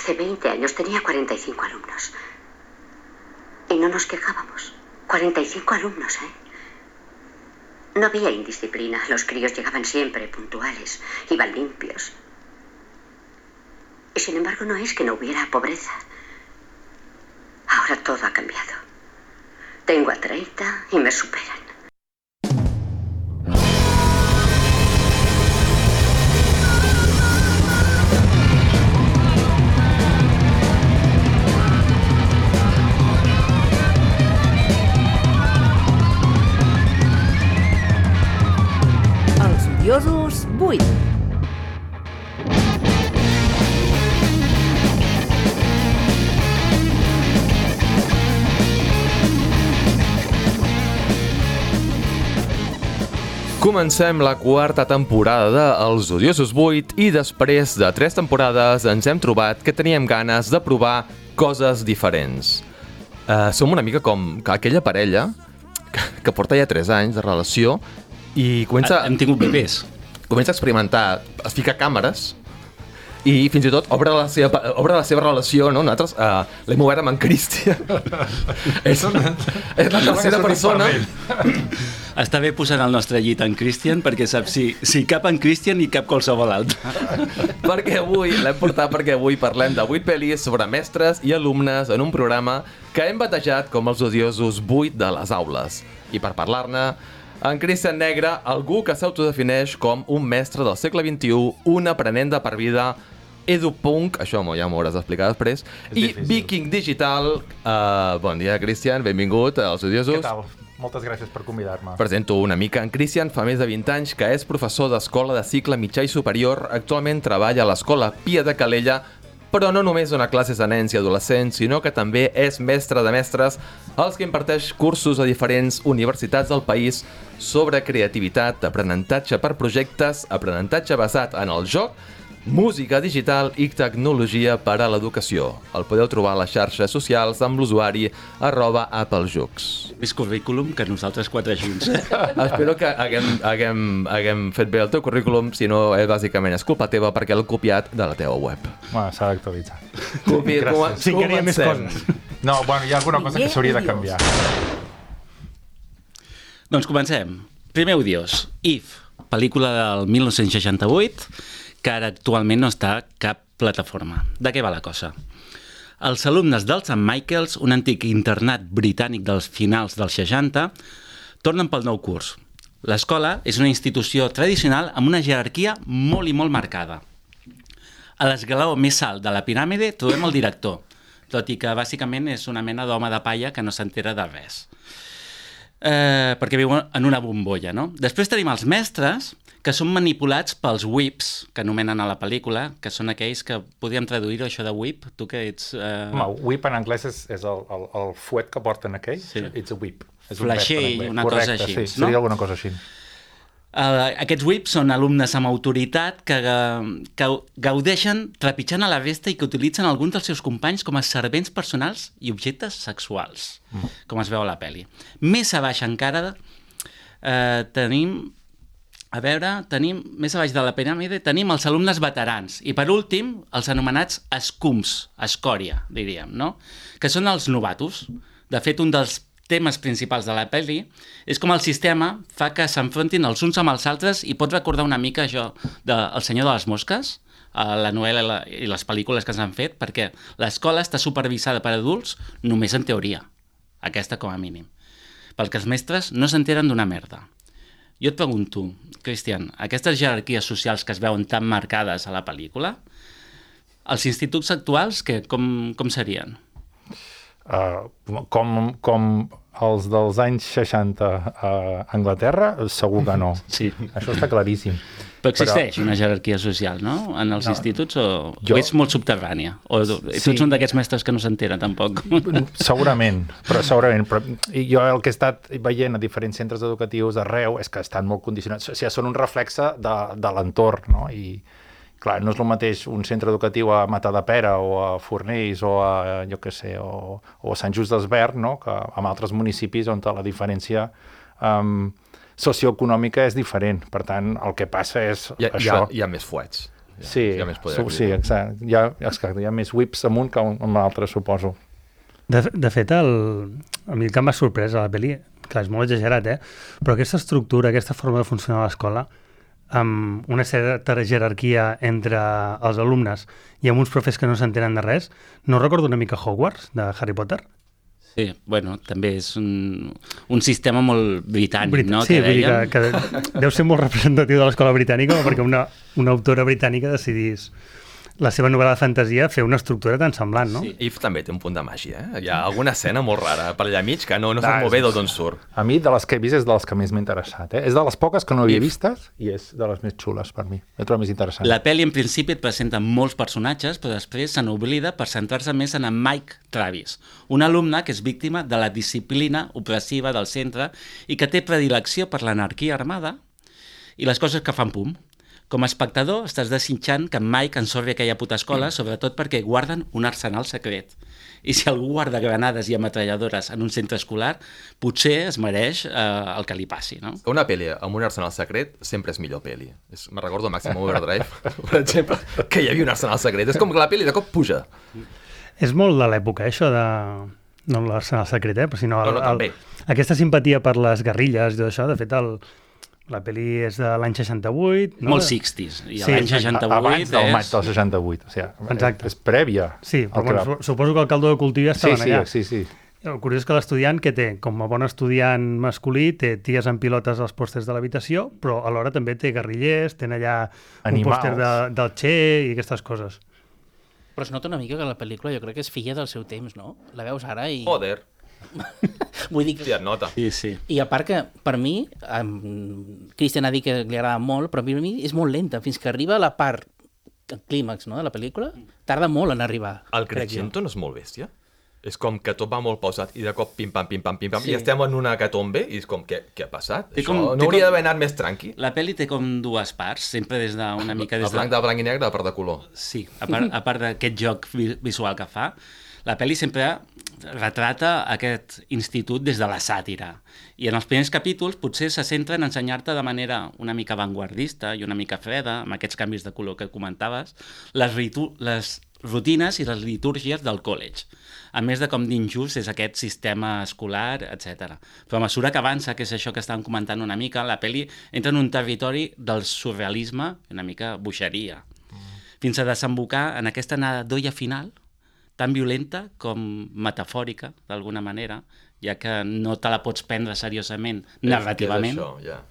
hace 20 años tenía 45 alumnos. Y no nos quejábamos. 45 alumnos, ¿eh? No había indisciplina. Los críos llegaban siempre puntuales. Iban limpios. Y sin embargo no es que no hubiera pobreza. Ahora todo ha cambiado. Tengo a 30 y me superan. Els odiosos 8. Comencem la quarta temporada de Els odiosos 8 i després de 3 temporades ens hem trobat que teníem ganes de provar coses diferents. Som una mica com aquella parella que porta ja 3 anys de relació i comença... Hem tingut bebès. Comença a experimentar, es fica càmeres i fins i tot obre la seva relació, no? Nosaltres l'hem obert amb en Cristian. és la tercera persona. Està bé posant el nostre llit en Christian perquè sap si cap en Christian i cap qualsevol altre. L'hem portat perquè avui parlem de 8 pel·lis sobre mestres i alumnes en un programa que hem batejat com els odiosos 8 de les aules. I per parlar-ne, en Christian Negre, algú que s'autodefineix com un mestre del segle XXI, un aprenent de per vida, edupunk, això ja m'ho hauràs d'explicar després, i Viking Digital. Bon dia, Christian, benvingut als odiosos. Què tal? Moltes gràcies per convidar-me. Presento una mica. En Christian fa més de 20 anys que és professor d'escola de cicle mitjà i superior. Actualment treballa a l'Escola Pia de Calella, però no només dona classes a nens i adolescents, sinó que també és mestre de mestres, els que imparteix cursos a diferents universitats del país sobre creativitat, aprenentatge per projectes, aprenentatge basat en el joc, música digital i tecnologia per a l'educació. El podeu trobar a les xarxes socials amb l'usuari @applejux. Més currículum que nosaltres 4 junts. Espero que haguem fet bé el teu currículum, si no, bàsicament és culpa teva perquè l'he copiat de la teva web. Bueno, s'ha d'actualitzar. Sí, queria més coses. No, bueno, hi ha alguna cosa que s'hauria de canviar. Doncs comencem. Primer odiós, If, pel·lícula del 1968, que ara actualment no està a cap plataforma. De què va la cosa? Els alumnes del St. Michael's, un antic internat britànic dels finals dels 60, tornen pel nou curs. L'escola és una institució tradicional amb una jerarquia molt i molt marcada. A l'esglaó més alt de la piràmide trobem el director, tot i que bàsicament és una mena d'home de palla que no s'entera de res. Perquè viu en una bombolla, no? Després tenim els mestres, que són manipulats pels whips, que anomenen a la pel·lícula, que són aquells que podríem traduir-ho, això de whip, tu que ets... Home, whip en anglès és el fuet que porten aquells, sí. It's a whip. Flasher, una cosa així, sí, seria alguna cosa així. Aquests whips són alumnes amb autoritat que gaudeixen trepitjant a la resta i que utilitzen alguns dels seus companys com a servents personals i objectes sexuals, com es veu a la pel·li. Més a baix encara tenim més a baix de la piràmide, tenim els alumnes veterans i, per últim, els anomenats escums, escòria, diríem, no? Que són els novatos. De fet, un dels temes principals de la pel·li és com el sistema fa que s'enfrontin els uns amb els altres i pot recordar una mica això del Senyor de les Mosques, la novel·la i les pel·lícules que s'han fet, perquè l'escola està supervisada per adults només en teoria, aquesta com a mínim, perquè els mestres no s'enteren d'una merda. Jo et pregunto, Christian, aquestes jerarquies socials que es veuen tan marcades a la pel·lícula, els instituts actuals com serien? Com els dels anys 60 a Anglaterra, segur que no. Sí. Això està claríssim. Però existeix una jerarquia social, no? En els instituts o ets molt subterrània? O tu ets un d'aquests mestres que no s'entera, tampoc? Segurament. Però jo el que he estat veient a diferents centres educatius arreu és que estan molt condicionats. O sigui, són un reflexe de l'entorn, no? I, clar, no és el mateix un centre educatiu a Matadepera o a Fornells o a, jo què sé, o a Sant Just d'Esvern, no? Que en altres municipis on la diferència socioeconòmica és diferent. Per tant, el que passa és això. Hi ha més fuets. Sí, hi ha més poder. sí, exacte. Hi ha més whips amunt que amb l'altre, suposo. De fet, a mi el que m'ha sorprès a la pel·li, clar, és molt exagerat, però aquesta estructura, aquesta forma de funcionar a l'escola, amb una certa jerarquia entre els alumnes i amb uns profes que no s'entenen de res, no recordo una mica Hogwarts, de Harry Potter? Sí, bueno, també és un sistema molt britànic, no? Sí, vull dir que deu ser molt representatiu de l'escola britànica perquè una autora britànica decidís la seva novel·la de fantasia fer una estructura tan semblant, no? Sí. If també té un punt de màgia, Hi ha alguna escena molt rara per allà mig que no sap molt bé d'on surt. A mi, de les que he vist, és de les que més m'ha interessat. És de les poques que no havia vistes i és de les més xules per mi. He trobat més interessant. La pel·li, en principi, et presenta molts personatges, però després se n'oblida per centrar-se més en Mike Travis, un alumne que és víctima de la disciplina opressiva del centre i que té predilecció per l'anarquia armada i les coses que fan pum. Com a espectador, estàs desitjant que en Mike ensorri aquella puta escola, sobretot perquè guarden un arsenal secret. I si algú guarda granades i ametralladores en un centre escolar, potser es mereix el que li passi, no? Una pel·li amb un arsenal secret sempre és millor pel·li. Me recordo Maximum Overdrive, per exemple, que hi havia un arsenal secret. És com que la pel·li de cop puja. És molt de l'època, això de... No l'arsenal secret, però sinó també. Aquesta simpatia per les guerrilles i tot això. De fet, la pel·li és de l'any 68. No? Molt 60s. I l'any 68 abans del maig del 68. O sigui, exacte. És prèvia. Sí, però bueno, suposo que el caldo de cultiu ja estaven allà. Sí. El curiós és que l'estudiant que té, com a bon estudiant masculí, té ties en pilotes als pòsters de l'habitació, però alhora també té guerrillers, tenen allà un pòster del Che i aquestes coses. Però es nota una mica que la pel·lícula jo crec que és filla del seu temps, no? La veus ara i... Joder. Vull dir que... Sí, et nota. Sí. I a part que, per mi, Christian ha dit que li agrada molt, però per mi és molt lenta. Fins que arriba a la part, el clímax, no?, de la pel·lícula, tarda molt en arribar. El Crescento no és molt bèstia? És com que tot va molt pausat i de cop pim-pam, Sí. i estem en una hecatombe i és com, què ha passat? Té Això com- no té hauria com- d'haver anat més tranqui? La pel·li té com dues parts, sempre des d'una mica... El blanc i negre, a part de color. Sí, a part d'aquest joc visual que fa, la pel·li sempre retrata aquest institut des de la sàtira. I en els primers capítols potser se centra en ensenyar-te de manera una mica avantguardista i una mica freda, amb aquests canvis de color que comentaves, les rutines i les litúrgies del college, a més de com d'injust és aquest sistema escolar, etc. Però a mesura que avança, que és això que estàvem comentant una mica, la pel·li entra en un territori del surrealisme, una mica boixeria, fins a desembocar en aquesta nadoia final, tan violenta com metafòrica, d'alguna manera, ja que no te la pots prendre seriosament narrativament. És això, ja.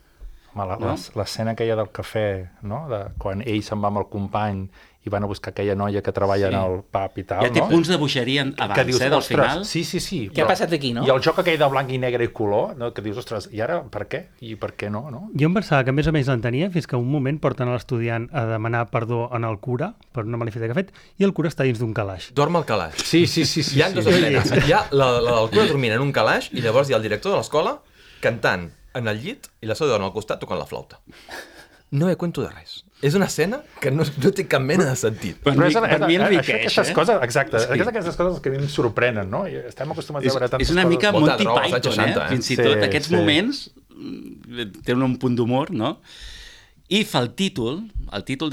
Home, l'escena aquella del cafè, no? Quan ell se'n va amb el company i van a buscar aquella noia que treballa en el pub i tal, ja té no? punts de boixeria abans, que dius, del ostres, final. Sí. Què ha passat aquí, no? I el joc aquell de blanc i negre i color, no? Que dius, ostres, i ara per què? I per què no? Jo em pensava que més o menys l'entenia fins que un moment porten a l'estudiant a demanar perdó en el cura per una malifeta que ha fet i el cura està dins d'un calaix. Dorm al calaix. Sí. Hi ha dues escenes. Hi ha la del cura dormint en un calaix i llavors hi ha el director de l'escola cantant en el llit i la seva dona al costat tocant la flauta. No he cuento de res. És una escena que no té cap mena de sentit. Per mi enriqueix, aquestes coses, exacte, aquestes coses que a mi em sorprenen, no? I estem acostumats a veure tantes és una mica coses. Monty Molta droga, Python, als anys 60, Fins i tot aquests sí. moments tenen un punt d'humor, no? I fa el títol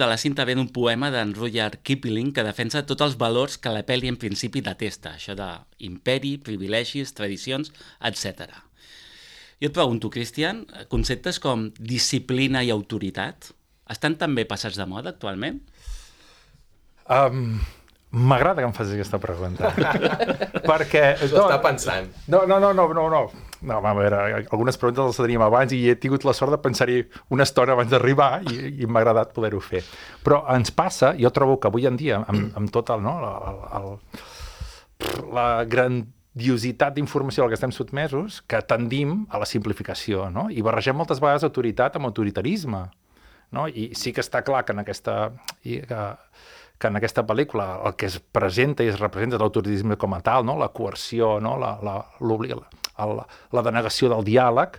de la cinta ve d'un poema d'en Rudyard Kipling que defensa tots els valors que la pel·li en principi detesta, això d'imperi, privilegis, tradicions, etc. Jo et pregunto, Cristian, conceptes com disciplina i autoritat estan també passats de moda actualment? M'agrada que em facis aquesta pregunta. Perquè... S'ho està pensant. No, a veure, algunes preguntes les teníem abans i he tingut la sort de pensar-hi una estona abans d'arribar i m'ha agradat poder-ho fer. Però ens passa, jo trobo que avui en dia, amb tot la grandiositat d'informació a la que estem sotmesos, que tendim a la simplificació, no? I barregem moltes vegades autoritat amb autoritarisme. No? I sí que està clar que en aquesta pel·lícula el que es presenta i es representa l'autoritarisme com a tal, no? La coerció, no? La denegació del diàleg,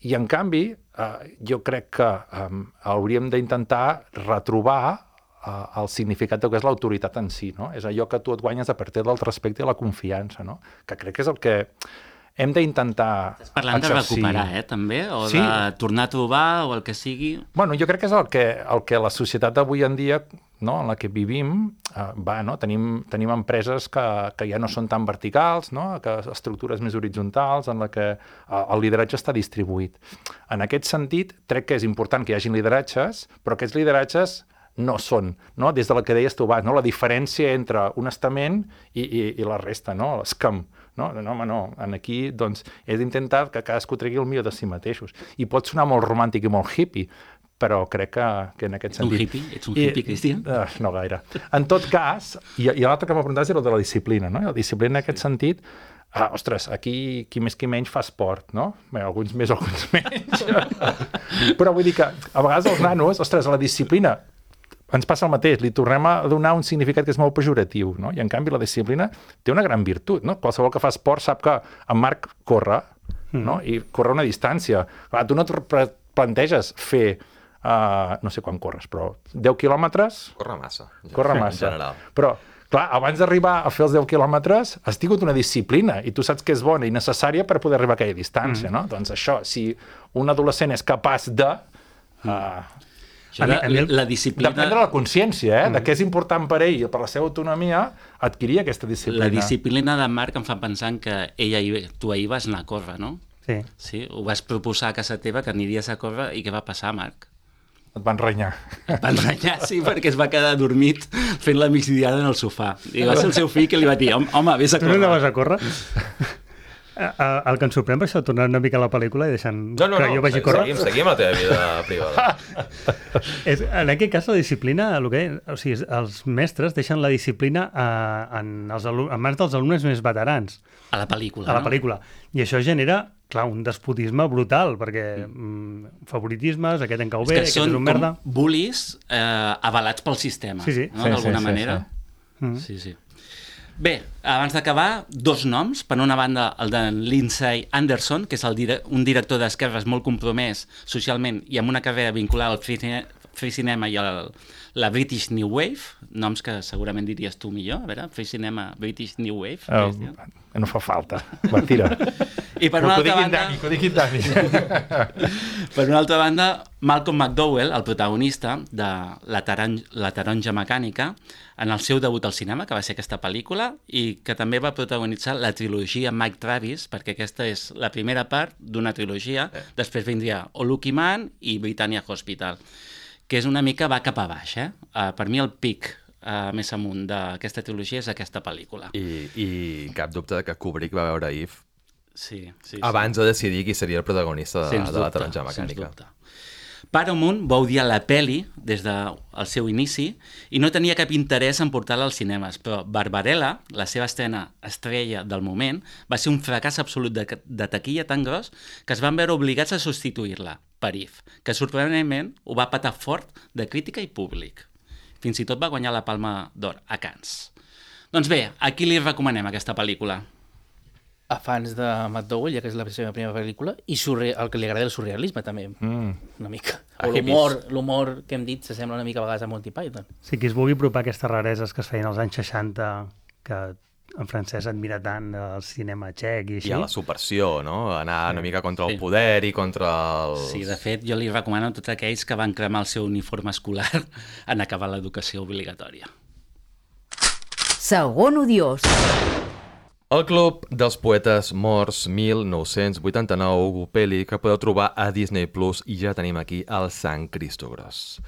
i en canvi jo crec que hauríem d'intentar retrobar el significat del que és l'autoritat en si, no? És allò que tu et guanyes a partir del respecte i la confiança, no? Que crec que és el que hem d'intentar Estàs parlant de recuperar, també? O Sí. de tornar a trobar, o el que sigui... Bueno, jo crec que és el que la societat d'avui en dia, no, en la que vivim, va, no? Tenim empreses que ja no són tan verticals, no? Que estructures més horitzontals, en la que el lideratge està distribuït. En aquest sentit, crec que és important que hi hagi lideratges, però aquests lideratges no són, no? Des de la que deies tu abans, no? La diferència entre un estament i la resta, no? L'escam. No, home, no. Aquí, doncs, és intentar que cadascú tregui el millor de si mateixos. I pot sonar molt romàntic i molt hippie, però crec que en aquest sentit... Ets un hippie, Cristian? No gaire. En tot cas, i l'altre que m'apuntaves era el de la disciplina, no? I la disciplina en aquest sentit, ostres, aquí qui més qui menys fa esport, no? Bé, alguns més, alguns menys. Però vull dir que a vegades els nanos, ostres, la disciplina ens passa el mateix, li tornem a donar un significat que és molt pejoratiu, no? I en canvi la disciplina té una gran virtut, no? Qualsevol que fa esport sap que en Marc corre, no? I corre una distància. Clar, tu no et planteges fer, no sé quan corres, però 10 quilòmetres... Corre massa. Corre massa. Però, clar, abans d'arribar a fer els 10 quilòmetres has tingut una disciplina i tu saps que és bona i necessària per poder arribar a aquella distància, no? Doncs això, si un adolescent és capaç de... La disciplina... De prendre la consciència, de què és important per ell i per la seva autonomia, adquirir aquesta disciplina. La disciplina de Marc em fa pensar que tu ahir vas anar a córrer, no? Sí. Sí, ho vas proposar a casa teva que aniries a córrer i què va passar, Marc? Et van renyar. Et van renyar, sí, perquè es va quedar dormit fent la migdiada en el sofà. I va ser el seu fill que li va dir, home, vés a córrer. Tu no anaves a córrer? El que em sorprèn per això, tornant una mica a la pel·lícula i deixant que jo vagi a córrer... Seguim la teva vida privada. En aquest cas, la disciplina, o sigui, els mestres deixen la disciplina en mans dels alumnes més veterans. A la pel·lícula, A la pel·lícula. I això genera, clar, un despotisme brutal, perquè favoritismes, aquest en cau bé, aquest és un merda... És que són com bullies avalats pel sistema, no? D'alguna manera. Sí, sí. Bé, abans d'acabar, dos noms. Per una banda, el de Lindsay Anderson, que és un director d'esquerres molt compromès socialment i amb una carrera vinculada al free cinema i a la British New Wave, noms que segurament diries tu millor. A veure, free cinema, British New Wave. No fa falta. Va, tira. I per una altra banda... Que ho digui Dani. Per una altra banda, Malcolm McDowell, el protagonista de La taronja mecànica, en el seu debut al cinema, que va ser aquesta pel·lícula, i que també va protagonitzar la trilogia Mike Travis, perquè aquesta és la primera part d'una trilogia. Després vindria O Lucky Man i Britannia Hospital, que és una mica va cap a baix. Per mi el pic més amunt d'aquesta trilogia és aquesta pel·lícula. I cap dubte que Kubrick va veure Eve abans de decidir qui seria el protagonista de La taronja mecànica. Paramount va odiar la pel·li des del seu inici i no tenia cap interès en portar-la als cinemes, però Barbarella, la seva estrena estrella del moment, va ser un fracàs absolut de taquilla tan gros que es van veure obligats a substituir-la per Eve, que sorprenentment ho va patar fort de crítica i públic. Fins i tot va guanyar la Palma d'Or a Cannes. Doncs bé, a qui li recomanem aquesta pel·lícula? A fans de McDowell, ja que és la seva primera pel·lícula, i el que li agrada el surrealisme, també, una mica. O l'humor que hem dit s'assembla una mica a vegades a Monty Python. Sí, qui es vulgui apropar aquestes rareses que es feien als anys 60, que en francès admira tant el cinema txec i així. I a la subversió, no? Anar una mica contra el poder i contra els... Sí, de fet, jo li recomano a tots aquells que van cremar el seu uniforme escolar en acabar l'educació obligatòria. Segon odiós. El Club dels Poetes Morts 1989, pel·li que podeu trobar a Disney Plus, i ja tenim aquí el Sant Cristo Gros.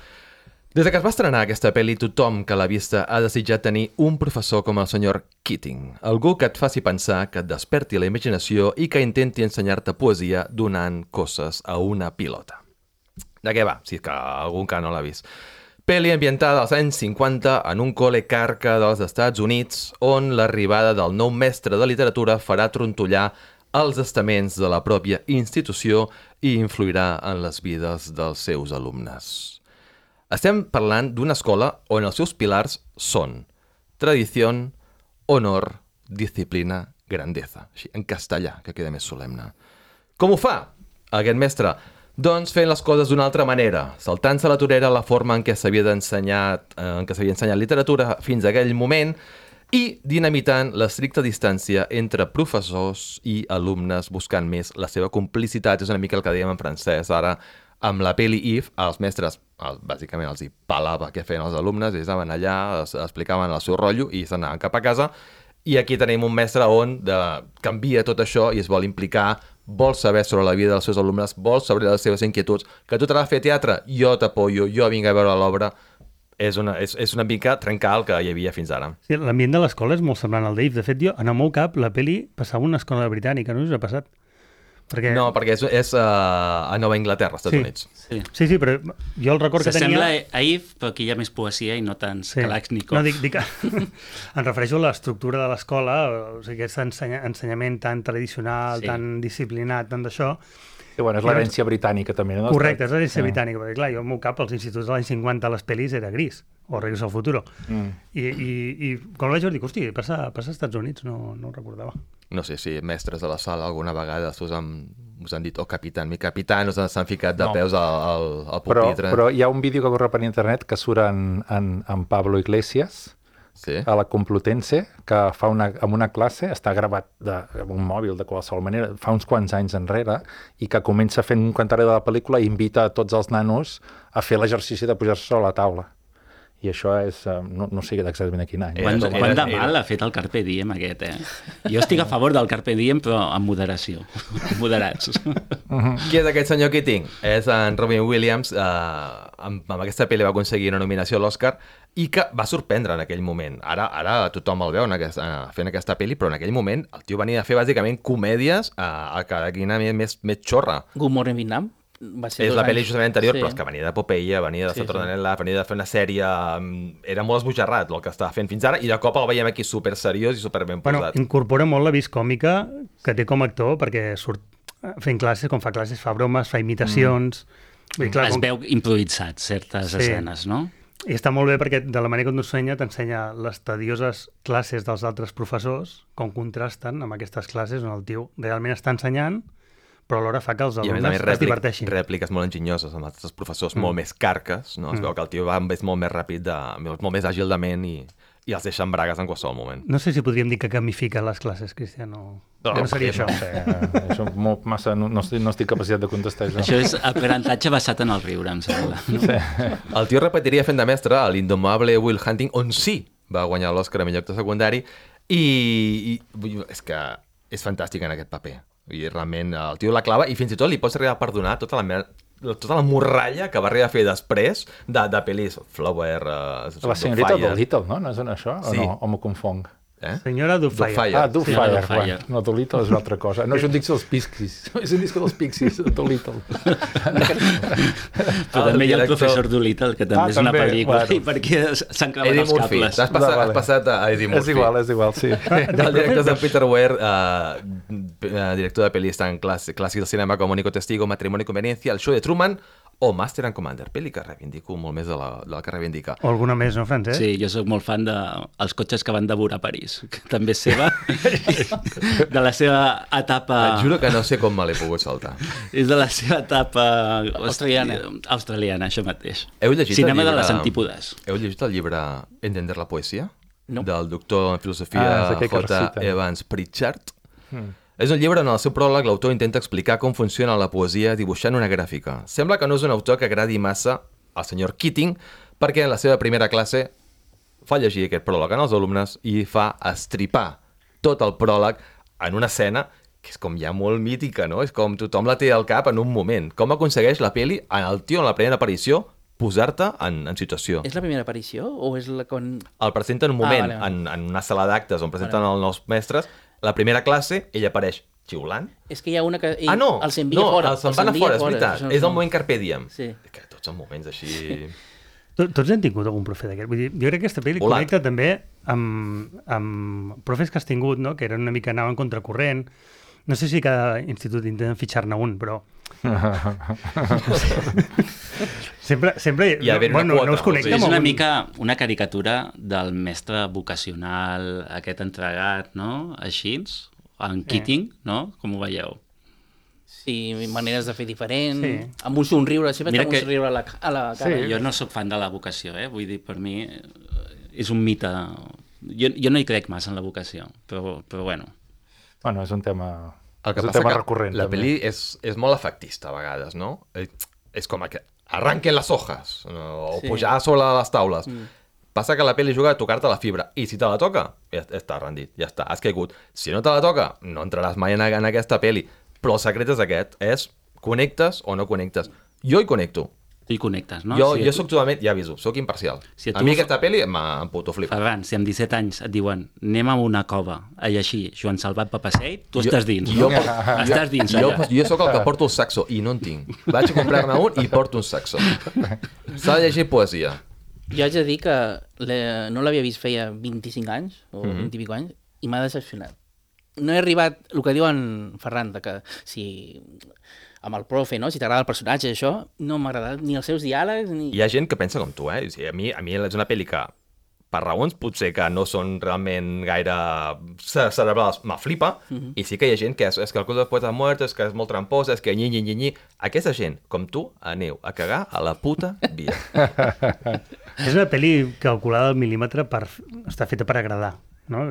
Des que es va estrenar aquesta pel·li, tothom que l'ha vista ha desitjat tenir un professor com el senyor Keating, algú que et faci pensar, que et desperti la imaginació i que intenti ensenyar-te poesia donant cosses a una pilota. De què va? Si és que algú encara no l'ha vist. Pel·li ambientada als anys 50 en un col·le carca dels Estats Units, on l'arribada del nou mestre de literatura farà trontollar els estaments de la pròpia institució i influirà en les vides dels seus alumnes. Estem parlant d'una escola on els seus pilars són tradició, honor, disciplina, grandeza. Així, en castellà, que queda més solemne. Com ho fa aquest mestre? Doncs fent les coses d'una altra manera, saltant-se a la torera la forma en què s'havia ensenyat literatura fins a aquell moment i dinamitant l'estricta distància entre professors i alumnes buscant més la seva complicitat. És una mica el que dèiem en francès ara amb la peli If. Els mestres bàsicament els hi pelava què feien els alumnes, ells anaven allà, explicaven el seu rotllo i s'anaven cap a casa. I aquí tenim un mestre on canvia tot això i es vol implicar, vol saber sobre la vida dels seus alumnes, vol saber les seves inquietuds, que tu t'agrada fer teatre, jo t'apoyo, jo vinc a veure l'obra. És una mica trencar el que hi havia fins ara. Sí, l'ambient de l'escola és molt semblant al d'If. De fet, jo, en el meu cap, la peli passava a una escola britànica, no us ha passat? No, perquè és a Nova Anglaterra, als Estats Units. Sí, però jo el record que tenia... S'assembla a If, però aquí hi ha més poesia i no tants Kalashnikov. No, dic que em refereixo a l'estructura de l'escola, o sigui, aquest ensenyament tan tradicional, tan disciplinat, tant d'això. Sí, bueno, és l'herència britànica també, no? Correcte, és l'herència britànica, perquè clar, jo al meu cap, als instituts de l'any 50 les pel·lis era Gris, o Regreso al futuro. I quan ho vaig dir, hosti, passa als Estats Units, no ho recordava. No sé si mestres de la sala alguna vegada us han dit, capitán, mi capitán, us s'han ficat de peus al pupitre. Però hi ha un vídeo que corre per internet que surt en Pablo Iglesias, a la Complutense, que fa en una classe, està gravat amb un mòbil de qualsevol manera, fa uns quants anys enrere, i que comença fent un comentari de la pel·lícula i invita a tots els nanos a fer l'exercici de pujar-se sobre la taula. I això és... no sé exactament a quin any. Quant de mal ha fet el Carpe Diem aquest, Jo estic a favor del Carpe Diem, però amb moderació. Moderats. Qui és aquest senyor Keating? És en Robin Williams. Amb aquesta pel·li va aconseguir una nominació a l'Oscar i que va sorprendre en aquell moment. Ara tothom el veu fent aquesta pel·li, però en aquell moment el tio venia a fer bàsicament comèdies a cada quina més xorra. Good Morning Vietnam? És la pel·li justament anterior, però és que venia de Popeye, venia de Saturday Night Live, venia de fer una sèrie... Era molt esbojarrat el que estava fent fins ara, i de cop el veiem aquí super seriós i super ben posat. Incorpora molt la vis còmica que té com a actor, perquè surt fent classes, quan fa classes, fa bromes, fa imitacions... Es veu improvisat certes escenes, no? I està molt bé perquè de la manera que t'ensenya les tedioses classes dels altres professors, com contrasten amb aquestes classes on el tio realment està ensenyant, però alhora fa que els alumnes es diverteixin. Rèpliques molt enginyoses amb altres professors molt més carques, no? Es veu que el tio és molt més ràpid, molt més àgil de ment i els deixa en bragues en qualsevol moment. No sé si podríem dir que gamifica les classes, Cristian, o... No seria això. Això molt massa... No estic capacitat de contestar això. Això és aprenentatge basat en el riure, em sembla. El tio repetiria fent de mestre a l'indomable Will Hunting, on sí va guanyar l'Oscar a millor actor secundari, i és que és fantàstic en aquest paper. I realment el tio la clava i fins i tot li pots arribar a perdonar tota la morralla que va arribar a fer després de pel·lis Flower, la senyorita Dolittle, no? No és això? Sí. O m'ho confong? Senyora Doubtfire. Doubtfire. No, Dolittle és una altra cosa. No és un disc dels Pixies. És un disc dels Pixies, Dolittle. Però també hi ha el professor Dolittle, que també és una pel·lícula. I per què s'han clavat els cables? Has passat a Eddie Murphy. És igual, sí. El director és en Peter Weir, director de pel·lis tan clàssics del cinema com Único Testigo, Matrimonio y Conveniencia, El show de Truman o Master and Commander, pel·li que reivindico molt més de la que reivindica. O alguna més, no, Francesc? Sí, jo sóc molt fan dels cotxes que van devorar París, que també és seva, de la seva etapa... Et juro que no sé com me l'he pogut saltar. És de la seva etapa... Australiana. Australiana, això mateix. Heu llegit Cinema el llibre... de les antípodes. Heu llegit el llibre Entender la poesia? No. Del doctor en filosofia J. Evans Pritchard? És un llibre on al seu pròleg l'autor intenta explicar com funciona la poesia dibuixant una gràfica. Sembla que no és un autor que agradi massa al senyor Keating, perquè en la seva primera classe fa llegir aquest pròleg als alumnes i fa estripar tot el pròleg en una escena que és com ja molt mítica, no? És com tothom la té al cap en un moment. Com aconsegueix la peli en el tio en la primera aparició posar-te en situació. És la primera aparició o és la quan... El presenta en un moment, en una sala d'actes on presenten els nous mestres. La primera classe, ell apareix xiulant. És que hi ha una que... No, els envia fora. Els van a fora, és veritat. És el moment Carpe Diem. Sí. Que tots els moments així... Tots hem tingut algun profe d'aquest. Vull dir, jo crec que aquesta pel·li connecta també amb profes que has tingut, no? Que eren una mica anaven contracorrent. No sé si cada institut intenten fitxar-ne un, però... sempre no us connecta és una mica una caricatura del mestre vocacional, aquest entregat, no? Així, en Keating, no? Com ho veieu? Sí, maneres de fer diferent, amb un somriure, sempre té un somriure a la cara. Jo no sóc fan de la vocació, vull dir, per mi és un mite Jo no hi crec massa en la vocació, però bueno. Bueno, és un tema, El que és un passa tema que recurrent. la també. pel·li és molt efectista a vegades, no? És com que arranquen les hojas, no? O Sí. pujar sobre les taules. Passa que la pel·li juga a tocar-te la fibra, i si te la toca, ja està rendit, ja està, has caigut. Si no te la toca, no entraràs mai en aquesta pel·li. Però el secret és aquest, és connectes o no connectes. Jo hi connecto. Tu hi connectes, no? Jo soc totalment, ja aviso, soc imparcial. Si A mi aquesta pel·li em puto flipa. Ferran, si amb 17 anys et diuen anem a una cova a llegir Joan Salvat Papaseit, tu Jo- estàs dins, jo- no? Estàs dins, allà. Jo sóc el que porto el saxo i no en tinc. Vaig a comprar-ne un i porto un saxo. S'ha de llegir poesia. Jo haig de dir que no l'havia vist feia 25 anys, o 20 i pico anys, i m'ha decepcionat. No he arribat, el que diu en Ferran, de que si amb el profe, no? Si t'agrada el personatge, això, no m'ha agradat ni els seus diàlegs, ni... Hi ha gent que pensa com tu, eh? O sigui, a mi és una pel·li que, per raons potser que no són realment gaire cerebrals, me flipa, i sí que hi ha gent que és que el Club dels Poetes Muerts, és que és molt trampós, és que nyi. Aquesta gent, com tu, aneu a cagar a la puta via. És una pel·li calculada al mil·límetre està feta per agradar, no?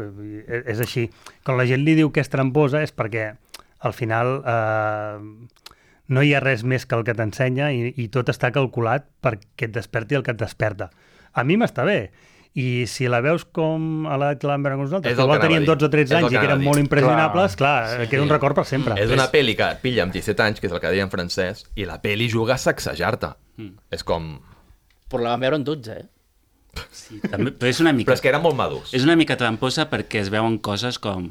És així. Quan la gent li diu que és tramposa és perquè al final no hi ha res més que el que t'ensenya i tot està calculat perquè et desperti el que et desperta. A mi m'està bé. I si la veus com a l'edat que l'han veure amb nosaltres, És que el igual que anava teníem a dir. 12 o 13 És el anys que i que anava eren a molt dir. impressionables, clar, queda un record per sempre. És una pel·li que et pilla amb 17 anys, que és el que deia en francès, i la pel·li juga a sacsejar-te. És com... Però la vam veure en 12, eh? Sí, també, però és una mica... Però és que eren molt madurs. És una mica tramposa perquè es veuen coses com...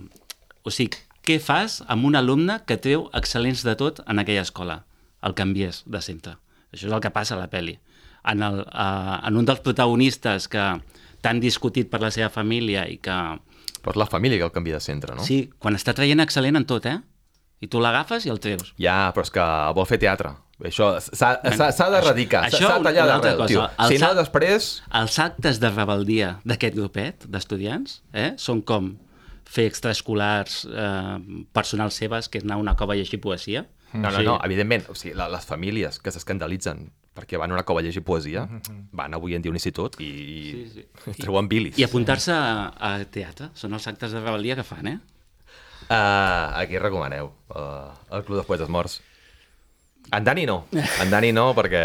O sigui, què fas amb un alumne que treu excel·lents de tot en aquella escola? El canvies de centre. Això és el que passa a la pel·li. En un dels protagonistes que tan discutit per la seva família i que... Però és la família que el canvia de centre, no? Sí, quan està traient excel·lent en tot, eh? I tu l'agafes i el treus. Ja, però és que vol fer teatre. Això s'ha d'erradicar, això s'ha de tallar una altra d'arrel, cosa. tio. Si no, després... Els actes de rebeldia d'aquest grupet d'estudiants són com fer extraescolars personals seves, que és anar a una cova a llegir poesia. No, evidentment, o sigui, les famílies que s'escandalitzen perquè van a una cova a llegir poesia, van avui en dia a un institut i treuen bilis. I apuntar-se a teatre. Són els actes de rebel·lia que fan, eh? Aquí recomaneu el Club dels Poetes Morts. En Dani no, perquè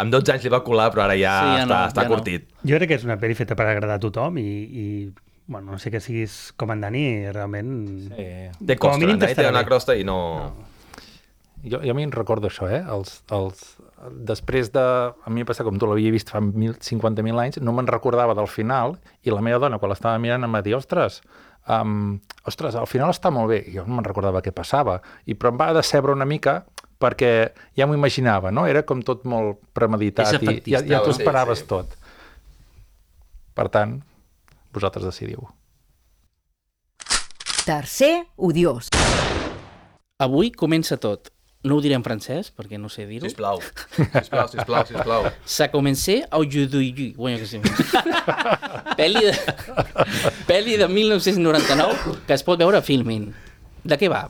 amb 12 anys li va colar, però ara ja, Sí, ja està no. curtit. Jo crec que és una pel·li feta per agradar a tothom i bueno, no sé que siguis com en Dani, realment... Sí. Té Com a costa, mínim en Dani té t'estarà una bé. crosta i no... Jo a mi em recordo això, després de... A mi em passa com tu l'havia vist fa 50.000 anys, no me'n recordava del final, i la meva dona, quan l'estava mirant, em va dir, ostres, al final està molt bé. I jo no me'n recordava què passava, però em va decebre una mica perquè ja m'ho imaginava, no? Era com tot molt premeditat És i efectista. ja t'ho Sí, esperaves sí. tot. Per tant, vosaltres decidiu. Tercer odiós. Avui comença tot. No ho diré en francès, perquè no sé dir-ho. Sisplau. Ça commencé aujourd'hui. Bueno, que sí. Pel·li de 1999 que es pot veure a Filmin. De què va?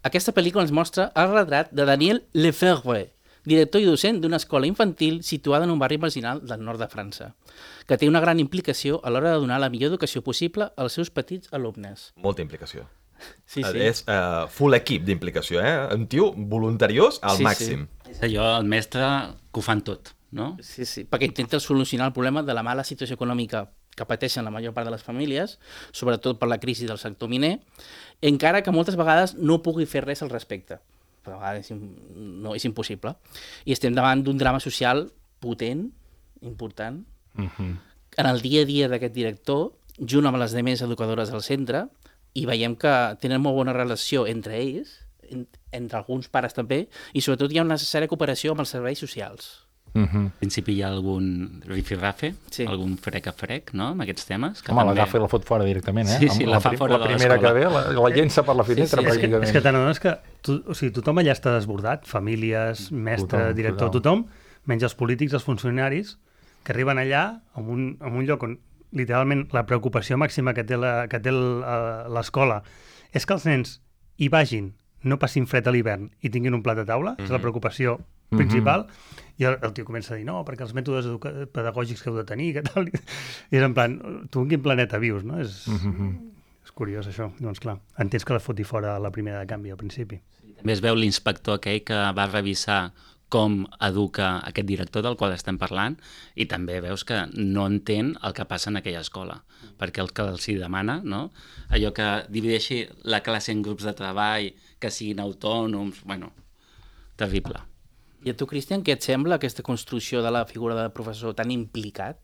Aquesta pel·lícula ens mostra el retrat de Daniel Lefebvre, director i docent d'una escola infantil situada en un barri marginal del nord de França, que té una gran implicació a l'hora de donar la millor educació possible als seus petits alumnes. Molta implicació. Sí, sí. És full equip d'implicació, eh? Un tio voluntariós al Sí, màxim. És allò, el mestre, que ho fan tot, no? Sí, sí, perquè intenta solucionar el problema de la mala situació econòmica que pateixen la major part de les famílies, sobretot per la crisi del sector miner, encara que moltes vegades no pugui fer res al respecte. Però a vegades és impossible. I estem davant d'un drama social potent, important. En el dia a dia d'aquest director, junt amb les demés educadores del centre, i veiem que tenen molt bona relació entre ells, entre alguns pares també, i sobretot hi ha una necessària cooperació amb els serveis socials. Al principi hi ha algun rifirrafe, Sí. algun frec, no?, amb aquests temes. Que Home, també... l'agafa i la fot fora directament, eh? Sí, sí, Amb la fa fora la de primera que l'escola. ve, la llença per la finestra, Sí, sí, pràcticament. És que te n'adones que tothom allà està desbordat, famílies, mestre, Tothom, director, tothom, menys els polítics, els funcionaris, que arriben allà en un lloc on literalment la preocupació màxima que té l'escola és que els nens hi vagin no passin fred a l'hivern i tinguin un plat a taula, és la preocupació principal, i el tio comença a dir, no, perquè els mètodes pedagògics que heu de tenir, que tal, i és en plan, tu en quin planeta vius, no? És curiós, això. Doncs clar, entens que la foti fora la primera de canvi al principi. També es veu l'inspector aquell que va revisar com educa aquest director del qual estem parlant i també veus que no entén el que passa en aquella escola, perquè el que els hi demana, no? Allò que divideixi la classe en grups de treball, que siguin autònoms, bueno, terrible. I a tu, Cristian, què et sembla aquesta construcció de la figura de professor tan implicat?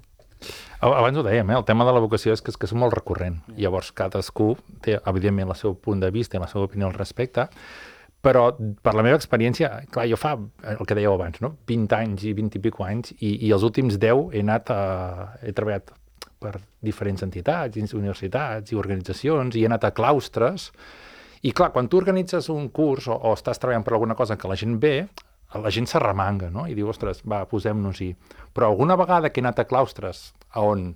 Abans ho dèiem, el tema de la vocació és que és molt recurrent. Llavors, cadascú té, evidentment, el seu punt de vista i la seva opinió al respecte, però per la meva experiència, clar, jo fa el que dèieu abans, no? 20 anys i 20 i pico anys, i els últims 10 he treballat per diferents entitats, universitats i organitzacions, i he anat a claustres, i clar, quan tu organitzes un curs o estàs treballant per alguna cosa que la gent ve, la gent s'arremanga, no? I diu, ostres, va, posem-nos-hi. Però alguna vegada que he anat a claustres on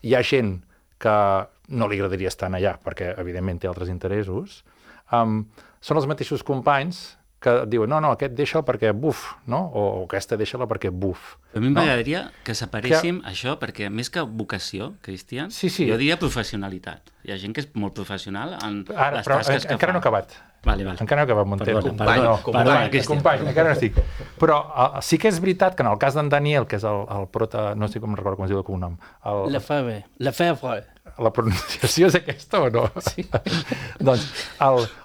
hi ha gent que no li agradaria estar allà, perquè evidentment té altres interessos, són els mateixos companys que diuen, no, aquest deixa'l perquè buf, no? O aquesta deixa-la perquè buf. A mi m'agradaria que separéssim això, perquè més que vocació, Cristian, jo diria professionalitat. Hi ha gent que és molt professional en les tasques que fa. Encara no he acabat. Vale. Encara no he acabat, Montero. Company, encara no estic. Però sí que és veritat que en el cas d'en Daniel, que és el prota, no sé com recordo com es diu el cognom. Lefebvre. La pronunciació és aquesta o no? Sí. Doncs,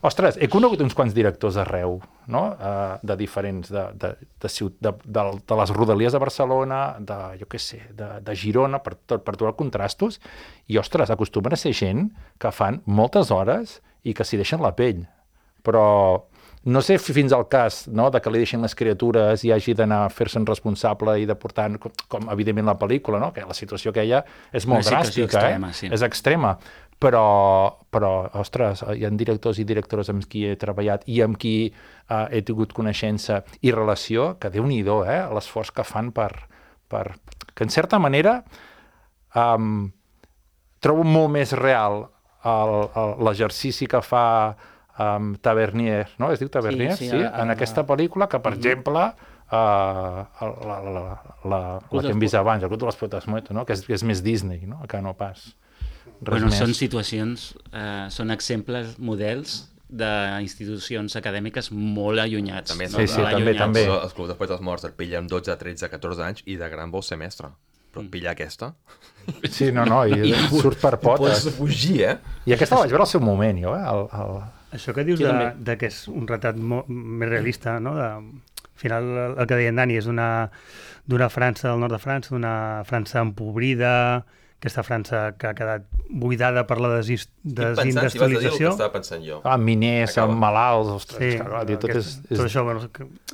ostres, he conegut uns quants directors arreu, no? De diferents, de les rodalies de Barcelona, de Girona, per trobar contrastos, i, ostres, acostumen a ser gent que fan moltes hores i que s'hi deixen la pell. Però no sé fins al cas, no, de que li deixin les criatures i hagi d'anar a fer-se'n responsable i de portar, com evidentment la pel·lícula, no? Que la situació que hi ha és molt dràstica, extrema, sí. És extrema. Però, ostres, hi ha directors i directores amb qui he treballat i amb qui he tingut coneixença i relació, que Déu-n'hi-do, l'esforç que fan per... que en certa manera trobo molt més real l'exercici que fa Tavernier, no? Es diu Tavernier? Sí, en aquesta pel·lícula, que, per exemple, la que hem vist abans, el Club de les Potes Muertas, no? Que és més Disney, no? Que no pas res més. Són situacions, són exemples, models d'institucions acadèmiques molt allunyats. També, també. Els Club de Poetes Morts et pillen 12, 13, 14 anys i de gran vol ser mestre. Però pillar aquesta... Sí, no, i surt per potes. Pots fugir, I aquesta vaig veure al seu moment, jo, Això que dius de que és un retrat més realista, no? Al final, el que deia en Dani és d'una França, del nord de França, d'una França empobrida, aquesta França que ha quedat buidada per la desindustrialització. Si vas dir el que estava pensant jo. Miners, malalts, ostres, tot això,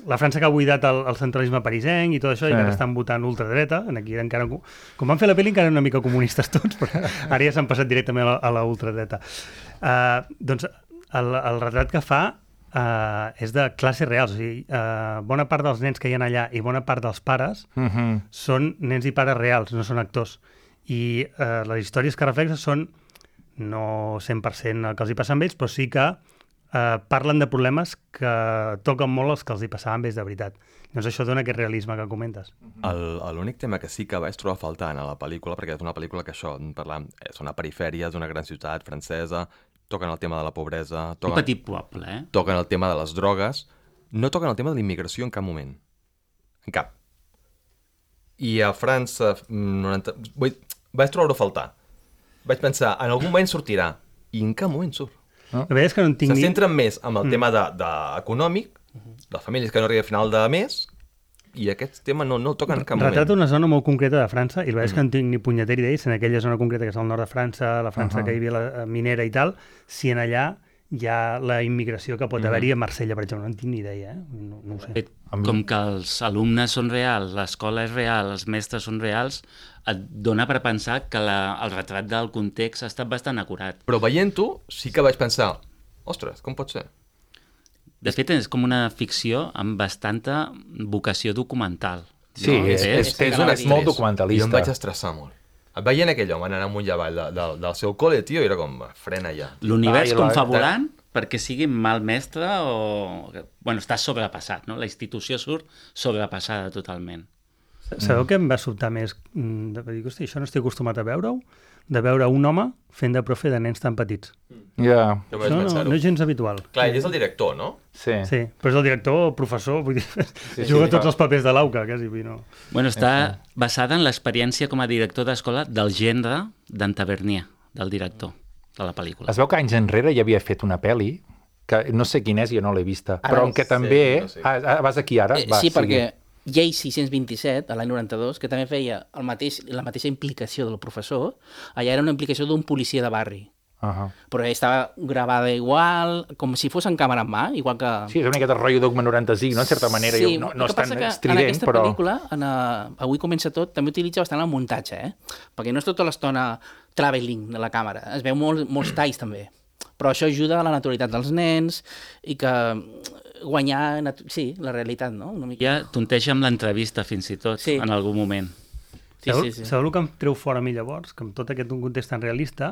la França que ha buidat el centralisme parisenc i tot això, i que estan votant ultradreta, aquí encara, com van fer la pel·li encara una mica comunistes tots, però ara ja s'han passat directament a la ultradreta. Doncs el retrat que fa és de classes reals, o sigui, bona part dels nens que hi ha allà i bona part dels pares són nens i pares reals, no són actors. I les històries que reflexen són no 100% el que els hi passa amb ells, però sí que parlen de problemes que toquen molt els que els hi passaven amb ells de veritat. Doncs això dona aquest realisme que comentes. L'únic tema que sí que vaig trobar faltant a la pel·lícula, perquè és una pel·lícula que són a perifèries d'una gran ciutat francesa, toquen el tema de la pobresa, un petit poble, toquen el tema de les drogues, no toquen el tema de la immigració en cap moment. En cap. I a França... Vaig trobar-ho a faltar. Vaig pensar, en algun moment sortirà, i en cap moment surt. La veritat és que no en tinc Se centren més en el tema econòmic, de famílies que no arriben a final de mes, i aquest tema no el toquen en cap moment. Retrata una zona molt concreta de França, i la veritat és que no tinc ni punyetera idea si en aquella zona concreta que és al nord de França, la França que hi havia la minera i tal, si en allà hi ha la immigració que pot haver-hi a Marsella, per exemple. No en tinc ni idea, no ho sé. Com que els alumnes són reals, l'escola és real, els mestres són reals, et dona per pensar que el retrat del context ha estat bastant acurat. Però veient-ho, sí que vaig pensar, ostres, com pot ser? De fet, és com una ficció amb bastanta vocació documental. Sí, és molt documentalista. Jo em vaig estressar molt. Veient aquell home anar amunt i avall del seu col·le, tio, era com, frena ja. L'univers confabulant perquè sigui mal mestre o... Bueno, està sobrepassat, no? La institució surt sobrepassada totalment. Sabeu què em va sobtar més? De dir, hosti, això no estic acostumat a veure-ho, de veure un home fent de profe de nens tan petits. Ja, No vaig Això no pensar-ho. és gens habitual. Clar, ell és el director, no? sí. Sí, però és el director o professor, vull dir, juga tots els papers de l'AUCA, quasi. Vull dir, no. Bueno, està basada en l'experiència com a director d'escola del gendre d'en Tavernier, del director de la pel·lícula. Es veu que anys enrere ja havia fet una pel·li, que no sé quina és, jo no l'he vista, Ara però no que sé, també... no sé. Vas aquí ara? Va, Sí, sigui. perquè Llei 627, a l'any 92, que també feia la mateixa implicació del professor, allà era una implicació d'un policia de barri. Però estava gravada igual, com si fos en càmera en mà, igual que... Sí, és una miqueta rotllo Dogma 95, no? En certa manera, Sí, no el és que passa tan que estrident, en aquesta però... pel·lícula, Avui comença tot, també utilitza bastant el muntatge, perquè no és tota l'estona travelling de la càmera, es veu molts talls també, però això ajuda a la naturalitat dels nens i que guanyar, la realitat, no? Una mica. Ja tonteja amb l'entrevista fins i tot, Sí. en algun moment. Sí. Sabeu el que em treu fora a mi llavors? Que amb tot aquest context tan realista,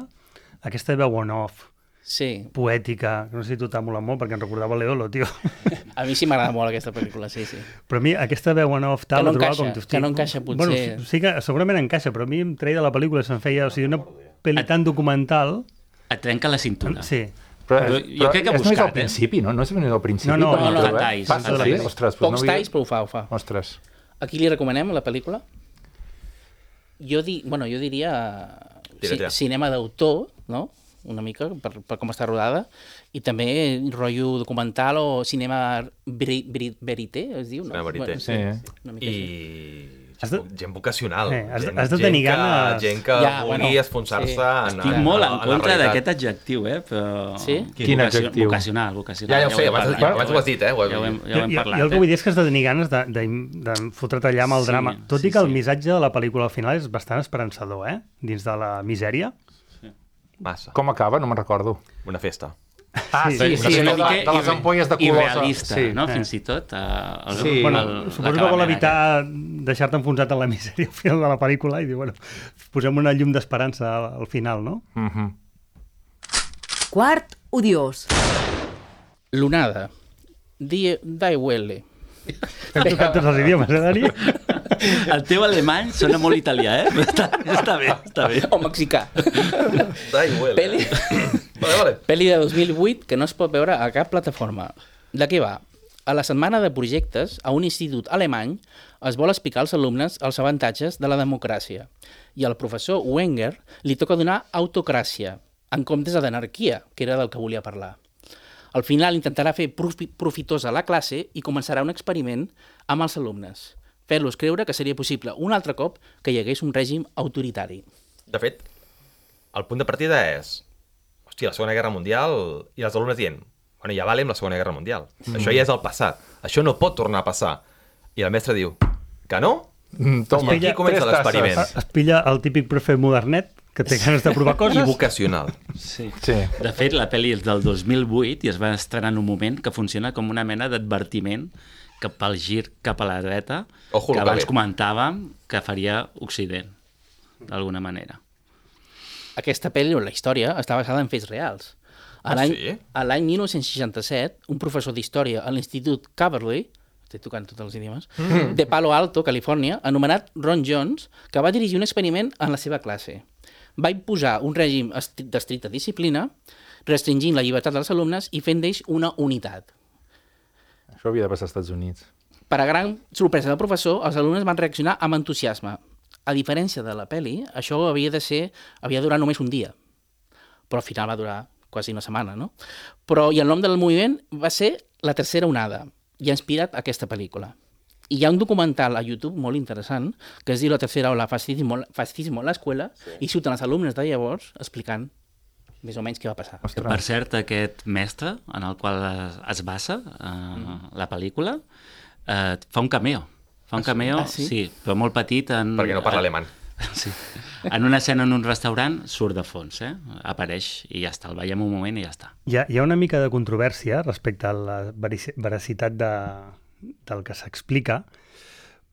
aquesta veu on-off, Sí, poètica, que no sé si tu t'ha molat molt, perquè em recordava l'Eolo, tio. a mi sí m'agrada molt aquesta pel·lícula, sí. Però a mi aquesta veu on-off tal, Que no la trobava encaixa, com... que no encaixa, potser. Bueno, sí que segurament encaixa, però a mi em treia de la pel·lícula, se'm feia, o sigui, una pel·li tan documental... Et trenca la cintura. Sí. Però jo crec que ha és només al buscat, principi, no? No és només al principi. No, quan no, entra, detalls, Passa, sí? detalls. Ostres, doncs Pocs no havia... talls, però ho fa. Ostres. A qui li recomanem la pel·lícula? Jo diria Tira. cinema d'autor, no? Una mica, per com està rodada, i també rotllo documental o cinema verité, es diu, no? Cinema verité. sí, Sí. una mica així. I Has de- gent vocacional. has de tenir ganes. Gent que Ja, vulgui bueno, esponsar-se sí. en Estic molt en la contra realitat. d'aquest adjectiu, però... Sí? Quin adjectiu? Vocacional. Ja ho sé, hem abans parlat, ho has dit, Ja ho hem Jo parlat. el que vull dir és que has de tenir ganes de fotre't allà amb el Sí, drama. Tot sí, i que el sí. missatge de la pel·lícula al final és bastant esperançador, dins de la misèria. Massa. Com acaba? No me'n recordo. Una festa. Ah, Sí, sí, però sí, és una de les ampolles de colors. irrealista, Sí. no? Fins i tot. Sí. Bueno, suposo que vol evitar deixar-te enfonsat en la misèria al final de la pel·lícula i diu, bueno, posem una llum d'esperança al final, no? Quart odiós. L'onada. Die Welle. Hem tocat tots els idiomes, Dani? El teu alemany sona molt italià, Està bé, està bé. O mexicà. Da igual. Peli. Vale. Pel·li de 2008 que no es pot veure a cap plataforma. De què va? A la setmana de projectes, a un institut alemany es vol explicar als alumnes els avantatges de la democràcia i al professor Wenger li toca donar autocràcia, en comptes d'anarquia, que era del que volia parlar. Al final intentarà fer profitosa la classe i començarà un experiment amb els alumnes, fer-los creure que seria possible un altre cop que hi hagués un règim autoritari. De fet, el punt de partida és... Hòstia, la Segona Guerra Mundial... I els alumnes dient... Bueno, ja vale amb la Segona Guerra Mundial. Això ja és el passat. Això no pot tornar a passar. I el mestre diu... Que no? Toma, I aquí comença tres tasses. l'experiment. Es pilla el típic profe modernet que té ganes de provar I coses. vocacional. Sí. Sí. De fet, la pel·li és del 2008 i es va estrenar en un moment que funciona com una mena d'advertiment cap al gir cap a la dreta Ojo, que lo que abans ve. comentàvem que faria Occident, d'alguna manera. Aquesta pel·li, o la història, està basada en fets reals. Sí? A l'any 1967, un professor d'història a l'Institut Caberly, estic tocant tots els idiomes, de Palo Alto, Califòrnia, anomenat Ron Jones, que va dirigir un experiment en la seva classe. Va imposar un règim d'estricta disciplina, restringint la llibertat dels alumnes i fent d'ells una unitat. Això havia de passar als Estats Units. Per a gran sorpresa del professor, els alumnes van reaccionar amb entusiasme. A diferència de la pel·li, això havia de durar només un dia. Però al final va durar quasi una setmana, no? I el nom del moviment va ser La Tercera Onada, i ha inspirat aquesta pel·lícula. I hi ha un documental a YouTube molt interessant que es diu La Tercera Ola, Fascismo a l'escola, i surten els alumnes de llavors explicant més o menys què va passar. Ostres. Per cert, aquest mestre en el qual es basa la pel·lícula fa un cameo. Fa un cameo, Ah, sí? sí, però molt petit. Perquè no parla alemany. Sí. En una escena en un restaurant surt de fons, apareix i ja està, el veiem un moment i ja està. Hi ha una mica de controvèrsia respecte a la veracitat del que s'explica,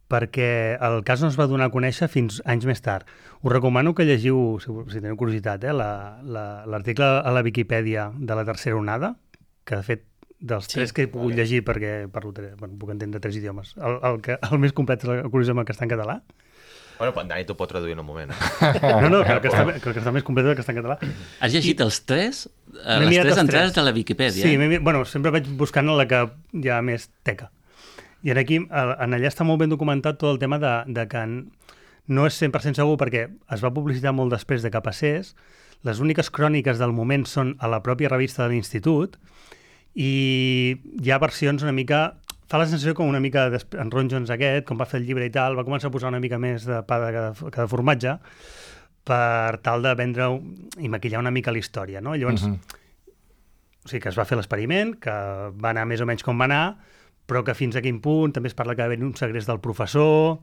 perquè el cas no es va donar a conèixer fins anys més tard. Us recomano que llegiu, si teniu curiositat, l'article a la Viquipèdia de la Tercera Onada, que de fet dels tres que he pogut llegir, perquè puc entendre 3 idiomes, el més complet és curiosament el que està en català. Bueno, però en Dani t'ho pot traduir en un moment. No, que el que està més complet és el que està en català. Has llegit les tres entrades de la Viquipèdia? Sí, sempre vaig buscant la que hi ha més teca. I aquí, en allà està molt ben documentat tot el tema de que no és 100% segur perquè es va publicitar molt després de que passés. Les úniques cròniques del moment són a la pròpia revista de l'Institut i hi ha versions una mica... Fa la sensació com una mica en Ron Jones aquest, com va fer el llibre i tal, va començar a posar una mica més de pa que de formatge per tal de vendre i maquillar una mica la història, no? Llavors, o sigui, que es va fer l'experiment, que va anar més o menys com va anar, però que fins a quin punt també es parla que va haver un segrest del professor,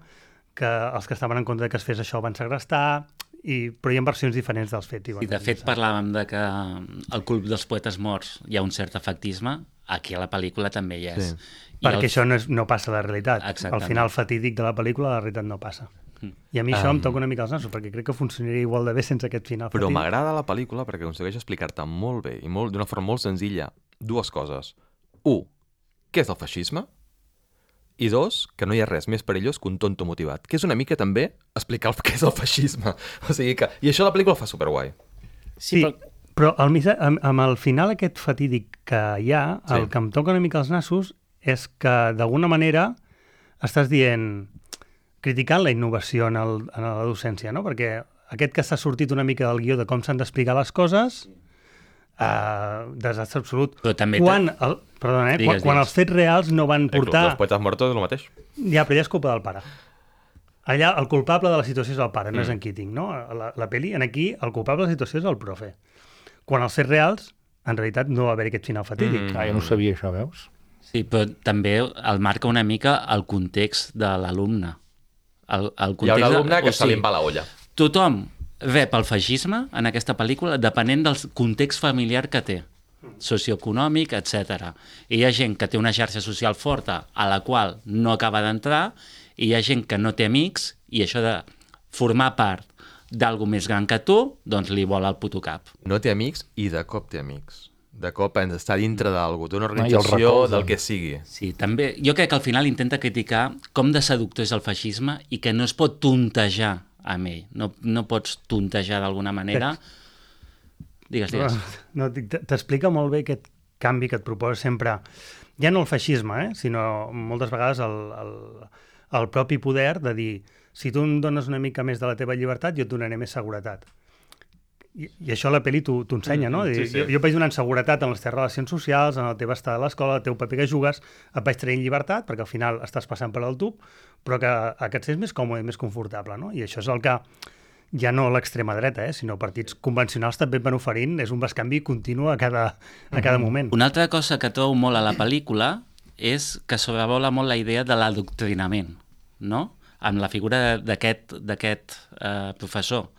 que els que estaven en contra que es fes això van segrestar, però hi ha versions diferents dels fets. I de fet parlàvem de que al Club dels Poetes Morts hi ha un cert efectisme, aquí a la pel·lícula també hi és. Sí. Perquè això no passa a la realitat. Exactament. Al final fatídic de la pel·lícula la realitat no passa. I a mi això em toca una mica els nassos, perquè crec que funcionaria igual de bé sense aquest final fatídic. Però m'agrada la pel·lícula perquè aconsegueix explicar-te molt bé i d'una forma molt senzilla 2 coses. 1, què és el feixisme? I 2, que no hi ha res més perillós que un tonto motivat, que és una mica també explicar què és el feixisme. O sigui que... I això la pel·lícula fa superguai. Sí, però amb el final aquest fatídic que hi ha, el que em toca una mica els nassos és que d'alguna manera estàs dient, criticant la innovació en la docència, no? Perquè aquest que s'ha sortit una mica del guió de com s'han d'explicar les coses, desastre absolut. Però també quan els fets reals no van portar... Els poetes mortos és el mateix. Ja, però ja és culpa del pare. Allà el culpable de la situació és el pare, no és en Keating, no? La pel·li, aquí, el culpable de la situació és el profe. Quan els fets reals, en realitat, no va haver aquest final fatídic. Jo no ho sabia, això, veus? Sí, però també el marca una mica el context de l'alumne. Hi ha un alumne que se li va la olla. Tothom rep el feixisme en aquesta pel·lícula depenent del context familiar que té, socioeconòmic, etc. I hi ha gent que té una xarxa social forta a la qual no acaba d'entrar i hi ha gent que no té amics i això de formar part d'algú més gran que tu, doncs li vola el puto cap. No té amics i de cop té amics. De cop està dintre d'algú, d'una organització, del que sigui. Sí, també. Jo crec que al final intenta criticar com de seductor és el feixisme i que no es pot tontejar amb ell. No pots tontejar d'alguna manera. Digues. No, t'explica molt bé aquest canvi que et proposa sempre, ja no el feixisme, sinó moltes vegades el propi poder de dir, si tu em dones una mica més de la teva llibertat, jo et donaré més seguretat. I això la pel·li t'ho ensenya, no? Sí. Jo vaig donant seguretat en les teves relacions socials, en el teu estar a l'escola, el teu paper que jugues, et vaig traient llibertat, perquè al final estàs passant per al tub, però que et sents més còmode i més confortable, no? I això és el que ja no l'extrema dreta, sinó partits convencionals també van oferint, és un bescanvi continu a cada moment. Una altra cosa que trobo molt a la pel·lícula és que sobrevola molt la idea de l'adoctrinament, no? Amb la figura d'aquest professor.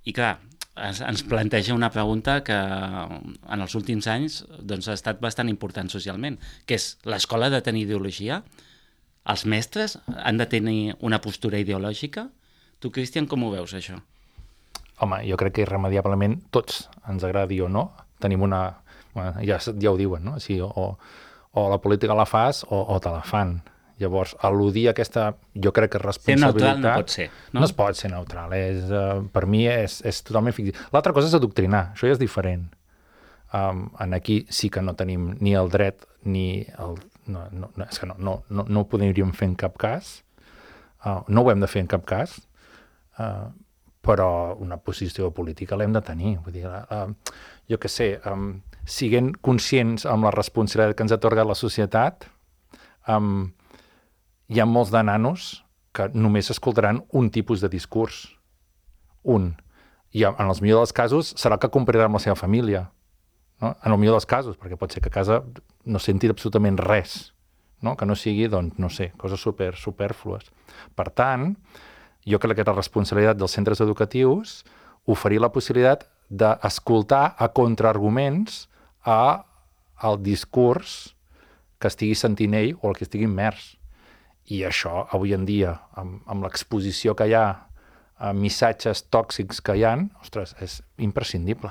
I clar, ens planteja una pregunta que en els últims anys doncs, ha estat bastant important socialment, que és l'escola ha de tenir ideologia? Els mestres han de tenir una postura ideològica? Tu, Cristian, com ho veus, això? Home, jo crec que irremediablement tots, ens agradi o no, tenim una... Bueno, ja ho diuen, no? Sí, o la política la fas o te la fan. Llavors, al·ludir aquesta, jo crec que responsabilitat... Ser neutral no pot ser, no? No es pot ser neutral, per mi és totalment fictiu. L'altra cosa és adoctrinar, això ja és diferent. En aquí sí que no tenim ni el dret ni el... És que no ho podríem fer en cap cas, no ho hem de fer en cap cas, però una posició política l'hem de tenir. Vull dir, jo què sé, siguent conscients amb la responsabilitat que ens ha atorgat la societat, hi ha molts de nanos que només escoltaran un tipus de discurs. Un. I en els millors dels casos serà el que complirà amb la seva família. No? En el millor dels casos, perquè pot ser que a casa no senti absolutament res, no? Que no sigui, doncs, no sé, coses superflues. Per tant, jo crec que la responsabilitat dels centres educatius oferir la possibilitat d'escoltar a contraarguments al discurs que estigui sentint ell o el que estigui immers. I això, avui en dia, amb l'exposició que hi ha a missatges tòxics que hi ha, ostres, és imprescindible.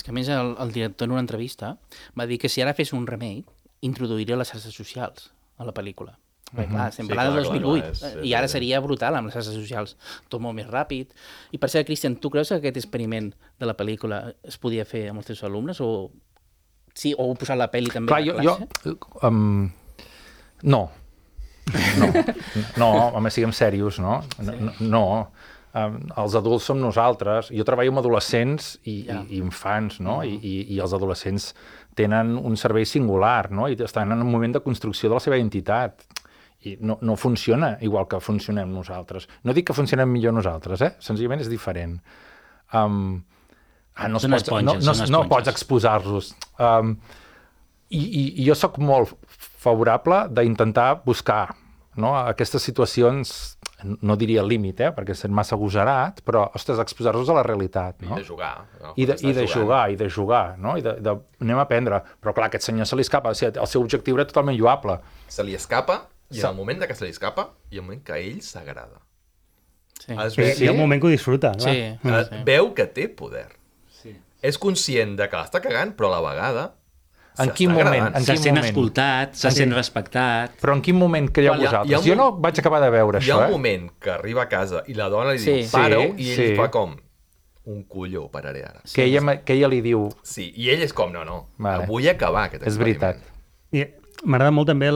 És que a més el director en una entrevista va dir que si ara fes un remake, introduiria les xarxes socials a la pel·lícula. Perquè, clar, estem parlant del 2008 i ara seria brutal amb les xarxes socials, tot molt més ràpid. I per cert, Cristian, tu creus que aquest experiment de la pel·lícula es podia fer amb els teus alumnes o sí, o posar la pel·li també a la classe? No, home, siguem serios, no? No. Els adults som nosaltres. Jo treballo amb adolescents i infants, no? I els adolescents tenen un cervell singular, no? I estan en un moment de construcció de la seva identitat. I no funciona igual que funcionem nosaltres. No dic que funcionem millor nosaltres, senzillament és diferent. No pots exposar-los. I jo sóc molt favorable d'intentar buscar, no, aquestes situacions, no diria límit, perquè és massa agosarat, però, ostres, exposar-los a la realitat. No? I de jugar. No? I de jugar, no? Anem a aprendre. Però, clar, aquest senyor se li escapa. O sigui, el seu objectiu era totalment lloable. Se li escapa, i en el moment que se li escapa, hi ha un moment que a ell s'agrada. Sí. Hi ha un moment que ho disfruta. Sí. Veu que té poder. Sí. És conscient de que l'està cagant, però a la vegada en quin moment? Se sent escoltat, se sent respectat. Però en quin moment creieu vosaltres? Jo no vaig acabar de veure això. Hi ha un moment que arriba a casa i la dona li diu pare-ho i ell fa com un colló, pararé ara. Que ella li diu... Sí, i ell és com, vull acabar aquest experiment. És veritat. I m'agrada molt també o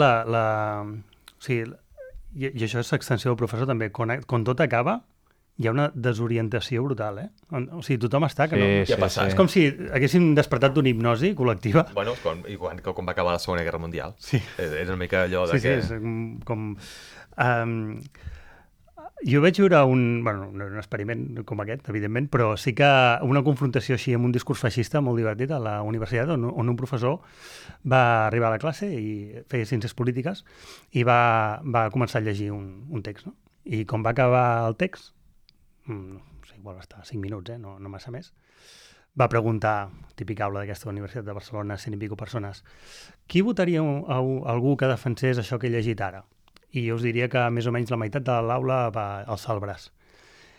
sigui, i això és l'extensió del professor també, quan tot acaba hi ha una desorientació brutal, O sigui, tothom està que no... Què ha passat? És com si haguéssim despertat d'una hipnosi col·lectiva. Bueno, quan va acabar la Segona Guerra Mundial. Sí. És una mica allò de que... Sí, és com... Jo vaig veure un experiment com aquest, evidentment, però sí que una confrontació així amb un discurs feixista molt divertit a la universitat, on un professor va arribar a la classe i feia ciències polítiques i va començar a llegir un text, no? I quan va acabar el text, igual va estar 5 minuts, no massa més, va preguntar, típica aula d'aquesta Universitat de Barcelona, 100 i pico persones, qui votaria a algú que defensés això que he llegit ara? I jo us diria que més o menys la meitat de l'aula va alçar el braç.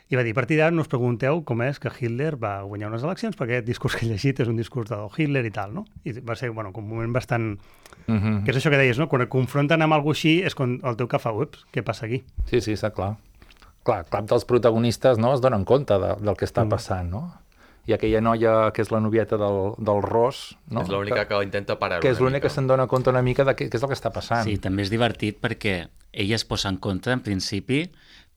I va dir, a partir d'ara no us pregunteu com és que Hitler va guanyar unes eleccions, perquè aquest discurs que he llegit és un discurs de Hitler i tal, no? I va ser, com un moment bastant... Que és això que deies, no? Quan et confronten amb alguna així és quan el teu cap fa, ups, què passa aquí? Sí, està clar. Clar, cap dels protagonistes es donen compte del que està passant, no? I aquella noia que és la novieta del Ross... No? És l'única que intenta parar-ho. Que és l'única que se'n dona compte una mica de què és el que està passant. Sí, també és divertit perquè ella es posa en contra, en principi,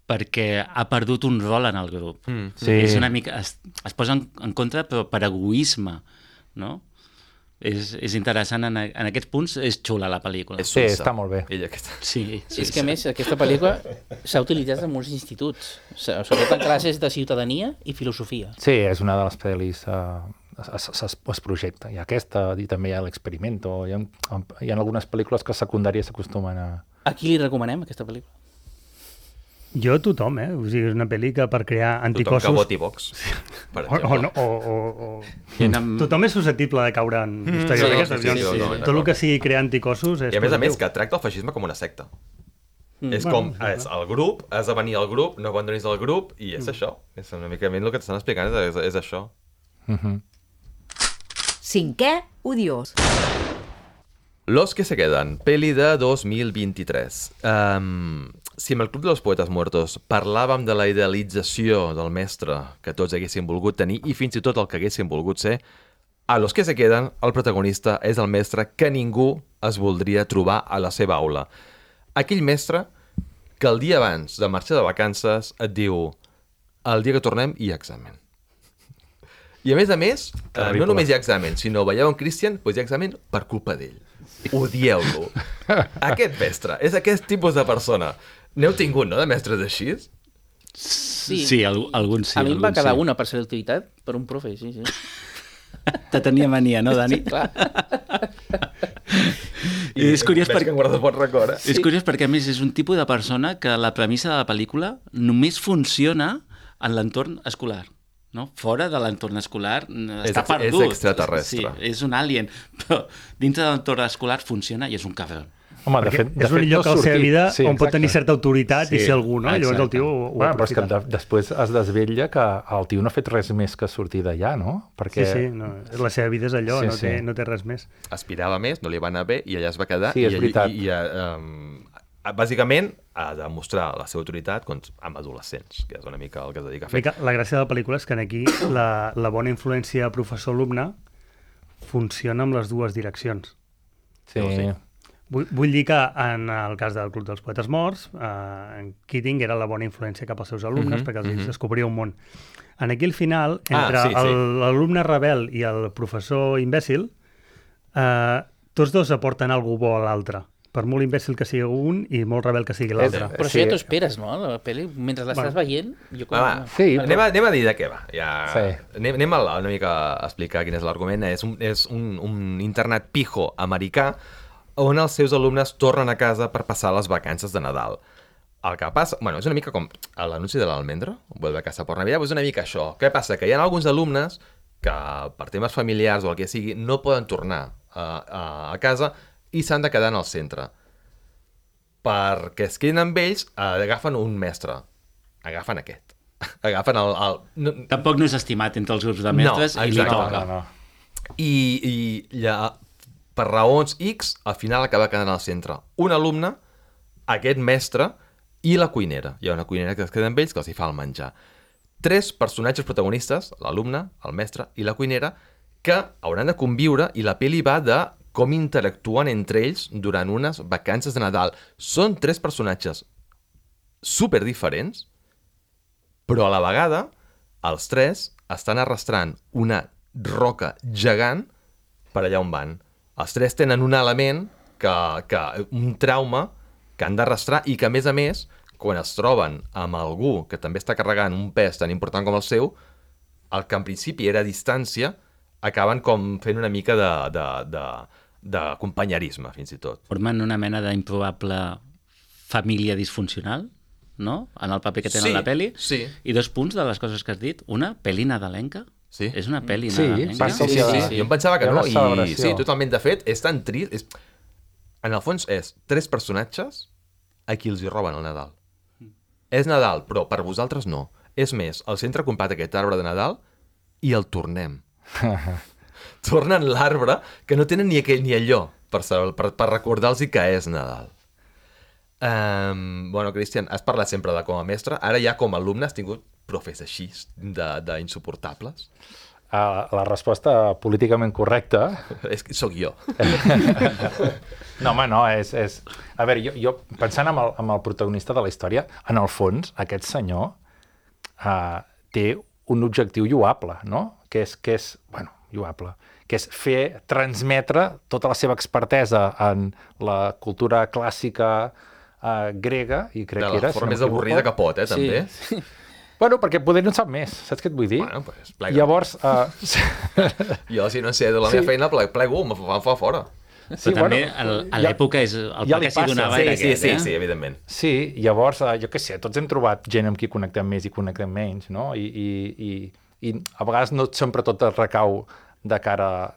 perquè ha perdut un rol en el grup. Sí. És una mica, es posa en contra però per egoisme, no? És interessant, en aquests punts és xula la pel·lícula. Sí, està molt bé. Sí. És que a més aquesta pel·lícula s'ha utilitzat en molts instituts, sobretot en classes de ciutadania i filosofia. Sí, és una de les pel·lis es projecta. Hi ha aquesta i també hi ha l'Experimento. Hi ha algunes pel·lícules que secundàries s'acostumen a... A qui li recomanem aquesta pel·lícula? Jo a tothom, O sigui, és una pel·li que per crear anticossos... Tothom que voti Vox, per exemple. Tothom és susceptible de caure en històries d'aquestes. Tot el que sigui crear anticossos és... I a més que tracta el feixisme com una secta. És com, el grup, has de venir al grup, no abandonis el grup, i és això. És una mica el que t'estan explicant, és això. Cinquè odiós. Los que se quedan, peli de 2023. Si amb el Club de los Poetes Muertos parlàvem de la idealització del mestre que tots haguessin volgut tenir i fins i tot el que haguessin volgut ser, a Los que se queden el protagonista és el mestre que ningú es voldria trobar a la seva aula. Aquell mestre que el dia abans de marxar de vacances et diu el dia que tornem hi ha examen. I a més, no només hi ha examen, sinó veieu en Christian, doncs hi ha examen per culpa d'ell. Odieu-lo. Aquest mestre és aquest tipus de persona. N'heu tingut, no, de mestres així? Sí, alguns sí. A mi em va quedar una per selectivitat per un profe, sí. Te tenia mania, no, Dani? Sí, clar. I és curiós perquè... És curiós perquè, a més, és un tipus de persona que la premissa de la pel·lícula només funciona en l'entorn escolar. No? Fora de l'entorn escolar està perdut. És extraterrestre. Sí, és un alien, però dintre de l'entorn escolar funciona i és un cabrón. Home, Perquè és un lloc a la seva vida on pot tenir certa autoritat i ser algú, no? I llavors el tio ho però és que aprofita. després es desvetlla que el tio no ha fet res més que sortir d'allà, no? Perquè... Sí, no, la seva vida és allò, Sí, no té res més. Aspirava més, no li va anar bé i allà es va quedar. Sí, és veritat. Bàsicament ha de mostrar la seva autoritat amb adolescents, que és una mica el que es dedica a fer. La gràcia de la pel·lícula és que aquí la bona influència professor-alumne funciona amb les dues direccions. Sí. Vull dir que en el cas del Club dels Poetes Morts, en Keating era la bona influència cap als seus alumnes perquè els descobria un món. En aquí al final, entre l'alumne rebel i el professor imbècil, tots dos aporten alguna bo a l'altre. Per molt imbècil que sigui un i molt rebel que sigui l'altre. Però això ja t'ho esperes, no? La pel·li, mentre l'estàs veient... Sí, anem a dir de què va. Sí. Anem a una mica a explicar quin és l'argument. És un internat pijo americà on els seus alumnes tornen a casa per passar les vacances de Nadal. El que passa... Bueno, és una mica com l'anunci de l'almendra, vuelve a casa por Navidad, és una mica això. Què passa? Que hi ha alguns alumnes que per temes familiars o el que sigui no poden tornar a casa i s'han de quedar en el centre. Perquè es queden amb ells, agafen un mestre. Agafen aquest. Agafen Tampoc no és estimat entre els grups de mestres i li toca. No. I per raons X, al final acaba quedant al centre un alumne, aquest mestre i la cuinera. Hi ha una cuinera que es queda amb ells que els hi fa el menjar. 3 personatges protagonistes, l'alumne, el mestre i la cuinera, que hauran de conviure i la pel·li va de com interactuen entre ells durant unes vacances de Nadal. Són 3 personatges super diferents, però a la vegada els 3 estan arrastrant una roca gegant per allà on van. Els 3 tenen un element, un trauma que han d'arrastrar i que, a més, quan es troben amb algú que també està carregant un pes tan important com el seu, el que en principi era a distància, acaben com fent una mica de companyerisme, fins i tot. Formen una mena d'improbable família disfuncional, no? En el paper que tenen a la pel·li. Sí. I 2 punts de les coses que has dit. Una, pel·li nadalenca. Sí. És una pel·li Sí, nadalenca. passa Sí. Jo em pensava que no, i sí, totalment. De fet, és tan trist. En el fons és 3 personatges a qui els hi roben el Nadal. És Nadal, però per vosaltres no. És més, el centre ha comprat aquest arbre de Nadal i el tornem. Tornen l'arbre que no tenen ni allò per recordar-los que és Nadal. Bueno, Cristian, has parlat sempre de com a mestre. Ara ja com a alumne has tingut profes així d'insuportables? La resposta políticament correcta... És que sóc jo. No, home, no, és... A veure, jo pensant en el protagonista de la història, en el fons, aquest senyor té un objectiu lloable, no? Que és lloable, que és transmetre tota la seva expertesa en la cultura clàssica grega, i crec que era... De la forma més avorrida que pot, també. Sí. Bueno, perquè poder no en sap més, saps què et vull dir? Bueno, pues, plega. Llavors... Jo, si no sé de la meva feina, plego, em fa fora. Però també a l'època és el ja pa li que s'hi passa. donava era aquest, Sí, evidentment. Sí, llavors, jo què sé, tots hem trobat gent amb qui connectem més i connectem menys, no? I a vegades no sempre tot es recau de cara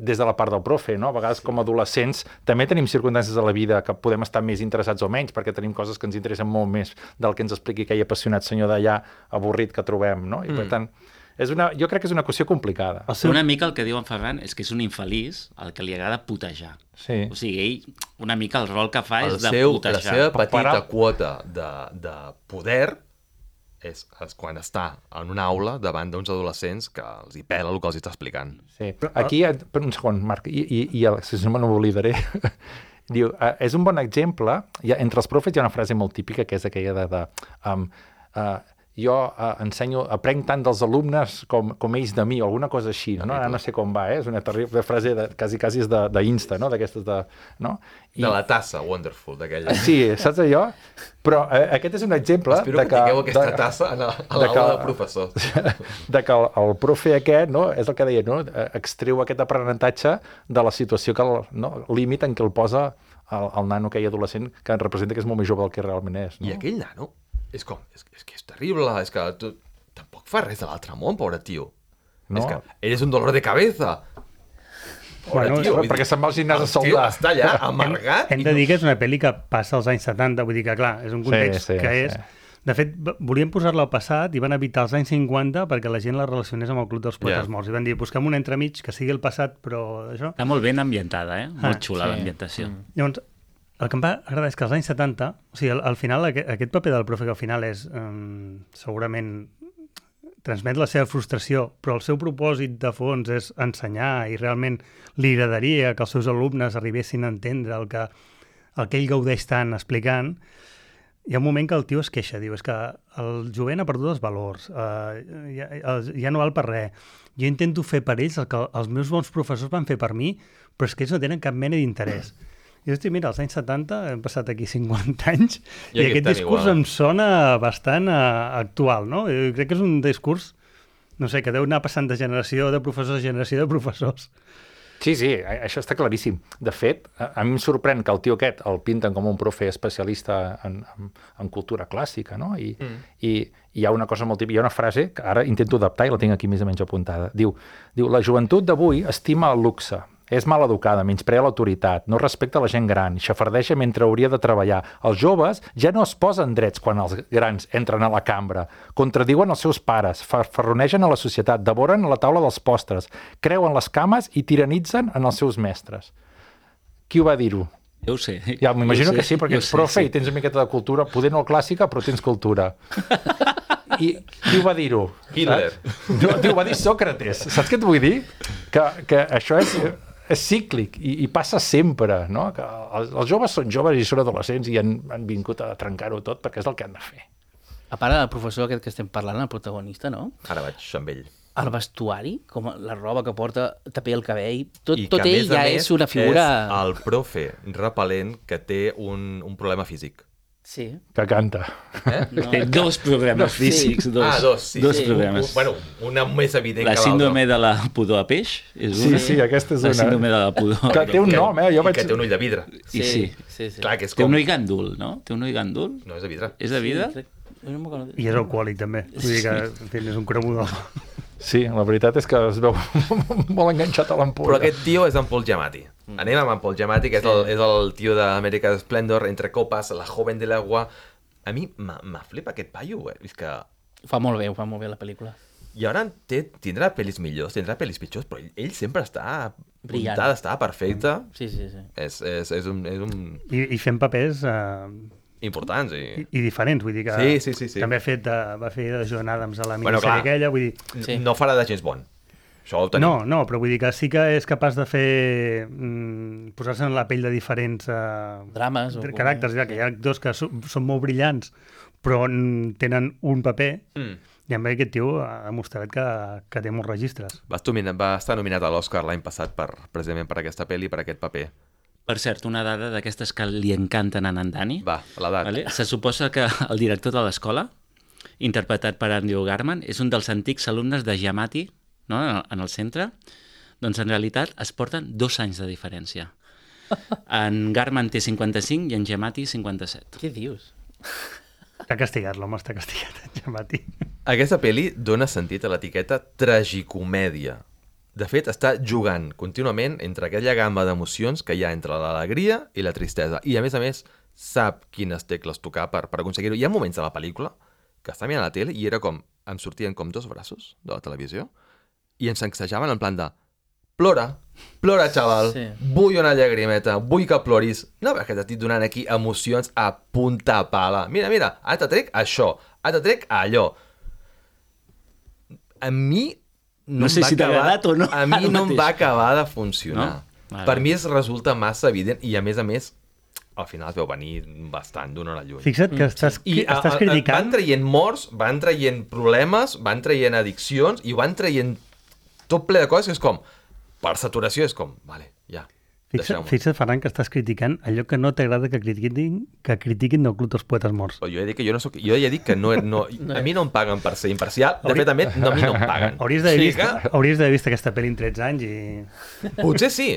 des de la part del profe, no? A vegades com a adolescents també tenim circumstàncies de la vida que podem estar més interessats o menys perquè tenim coses que ens interessen molt més del que ens expliqui aquell apassionat senyor d'allà avorrit que trobem, no? I per tant, jo crec que és una qüestió complicada. Una mica el que diu en Ferran és que és un infeliç al que li agrada putejar. Sí. O sigui, ell, una mica el rol que fa és de La putejar. seva petita quota de poder és quan està en una aula davant d'uns adolescents que els hi pela el que els està explicant. Sí. Aquí, per un segon, Marc, si no me n'oblidaré, diu, és un bon exemple, entre els profes hi ha una frase molt típica que és aquella jo aprenc tant dels alumnes com ells de mi, o alguna cosa així, no? Ara no sé com va, és una terrible frase, quasi és d'Insta, no? D'aquestes no? De la tassa, Wonderful, d'aquella. Sí, saps allò? Però aquest és un exemple... Espero que tingueu aquesta tassa a l'aula de professors. De que el profe aquest, no? És el que deia, no? Extreu aquest aprenentatge de la situació, límit en què el posa el nano aquell adolescent que representa que és molt més jove del que realment és. No? I aquell nano és que és terrible, és que tampoc fa res de l'altre món, pobre tio. No. És que eres un dolor de cabeza. Bueno, tio, perquè se'n va al gimnàs a el tio soldar. està allà, amargat. Hem de dir que és una pel·li que passa als anys 70, vull dir que, clar, és un context que és... De fet, volien posar-la al passat i van evitar els anys 50 perquè la gent la relacionés amb el Club dels Poetes Morts. I van dir, busquem un entremig que sigui el passat, però això... Està molt ben ambientada, Molt xula l'ambientació. Llavors, el que em va agradar és que als anys 70, o sigui, al final, aquest paper del profe que al final és segurament transmet la seva frustració, però el seu propòsit de fons és ensenyar i realment li agradaria que els seus alumnes arribessin a entendre el que ell gaudeix tant explicant. Hi ha un moment que el tio es queixa, diu, és que el jovent ha perdut els valors, ja no val per res. Jo intento fer per ells el que els meus bons professors van fer per mi, però és que ells no tenen cap mena d'interès. I hosti, mira, als anys 70 hem passat aquí 50 anys i aquest discurs em sona bastant actual, no? Jo crec que és un discurs, no sé, que deu anar passant de generació de professors a generació de professors. Sí, això està claríssim. De fet, a mi em sorprèn que el tio aquest el pinten com un profe especialista en cultura clàssica, no? I hi ha una cosa molt típica, hi ha una frase que ara intento adaptar i la tinc aquí més o menys apuntada. Diu, la joventut d'avui estima el luxe, és mal educada, menysprea l'autoritat, no respecta la gent gran, xafardeja mentre hauria de treballar. Els joves ja no es posen drets quan els grans entren a la cambra, contradiuen els seus pares, farronegen a la societat, devoren la taula dels postres, creuen les cames i tiranitzen en els seus mestres. Qui ho va dir-ho? Jo ho sé. Ja, m'imagino que sí, perquè ets profe i tens una miqueta de cultura, poder no clàssica, però tens cultura. I qui ho va dir-ho? Hitler. No, ho va dir Sòcrates. Saps què et vull dir? Que això és cíclic i passa sempre, no? Que els joves són joves i són adolescents i han vingut a trencar-ho tot perquè és el que han de fer. A part del professor aquest que estem parlant, el protagonista, no? Ara vaig amb ell. El vestuari, com la roba que porta, també el cabell, tot I que, ell ja és una figura... és el profe repel·lent que té un problema físic. Sí. Que canta. No. Té dos programes físics. Dos, sí. Dos programes. Bueno, una més evident la que l'altra. La síndrome de la pudor a peix és una. Sí, aquesta és una. La síndrome de la pudor. Que té un nom, I que té un ull de vidre. Sí. Clar, que és té com... un ull gandul, no? Té un ull gandul? No, és de vidre. És de vidre? I és alcohòlic, també. Vull dir que, en fi, és un cremudor. Sí, la veritat és que es veu molt enganxat a l'ampolla. Però aquest tio és en Paul Giamatti. Anem amb en Paul Giamatti, que és el tio d'American Splendor, Entre copas, La joven de l'agua. A mi m'ha flipat aquest paio, és que... Ho fa molt bé la pel·lícula. I ara tindrà pel·lis millors, tindrà pel·lis pitjors, però ell sempre està brillant, està perfecte. Sí. És un... I fent papers... importants i diferents, vull dir que sí. també va fer de John Adams a la minissèrie aquella, vull dir... No farà de James Bond. Això ho tenim. No, però vull dir que sí que és capaç de fer posar-se en la pell de diferents drames caràcters, ja que hi ha actors que són molt brillants però tenen un paper i amb aquest tio ha demostrat que té molts registres. Va estar nominat a l'Oscar l'any passat precisament per aquesta pel·li, per aquest paper. Per cert, una dada d'aquestes que li encanten a Nandani. Va, l'edat. Vale? Se suposa que el director de l'escola, interpretat per Andrew Garman, és un dels antics alumnes de Giamatti, no? En el centre. Doncs en realitat es porten 2 anys de diferència. En Garman té 55 i en Giamatti 57. Què dius? Està castigat, l'home està castigat, en Giamatti. Aquesta pel·li dona sentit a l'etiqueta tragicomèdia. De fet, està jugant contínuament entre aquella gamma d'emocions que hi ha entre l'alegria i la tristesa. I, a més, sap quines tecles tocar per aconseguir-ho. Hi ha moments de la pel·lícula que està mirant la tele i era com... Em sortien com 2 braços de la televisió i ens sacsejaven en plan de... Plora, xaval, vull una llagrimeta, vull que ploris. No, perquè t'estic donant aquí emocions a punta pala. Mira, ara te trec això, ara te trec allò. A mi... No sé si t'ha agradat o no. A mi no em va acabar de funcionar. No? Vale. Per mi resulta massa evident i, a més, al final es veu venir bastant d'una hora lluny. Fixa't que estàs criticant... Van traient morts, van traient problemes, van traient addiccions i van traient tot ple de coses que és com... Per saturació és com... Vale, ja, Fixa't, Ferran, que estàs criticant allò que no t'agrada que critiquin del Club dels Poetes Morts. Jo he dit que jo no soc... Jo ja he dit que no, a mi no em paguen per ser imparcial. De fet, a mi no em paguen. Hauries d'haver vist aquesta pel·li en 13 anys i... Potser sí.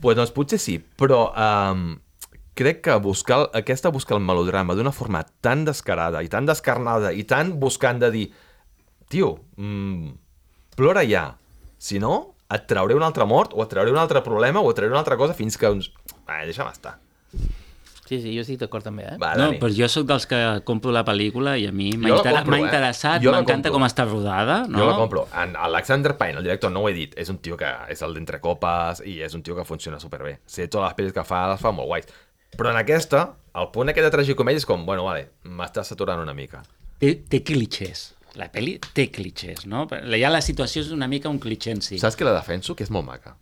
Pues doncs potser sí, però crec que buscar el melodrama d'una forma tan descarada i tan descarnada i tan buscant de dir tio, plora ja. Si no, et trauré una altra mort, o et trauré un altre problema, o et trauré una altra cosa, fins que uns... deixa'm estar. Sí, jo estic d'acord també, Va, No, Dani. però jo sóc dels que compro la pel·lícula i a mi Jo la compro, m'ha interessat, Jo la m'encanta compro. com està rodada, no? Jo la compro. Alexander Payne, el director, no ho he dit, és un tio que és el d'entre copes i és un tio que funciona superbé. Sé, totes les pel·lis que fa, les fa molt guais. Però en aquesta, el punt aquest de tragicomèdia és com, bueno, vale, m'estàs saturant una mica. Té clichés. La pel·li té clichés, no? Ja la situació és una mica un cliché en si. Saps que la defenso? Que és molt maca.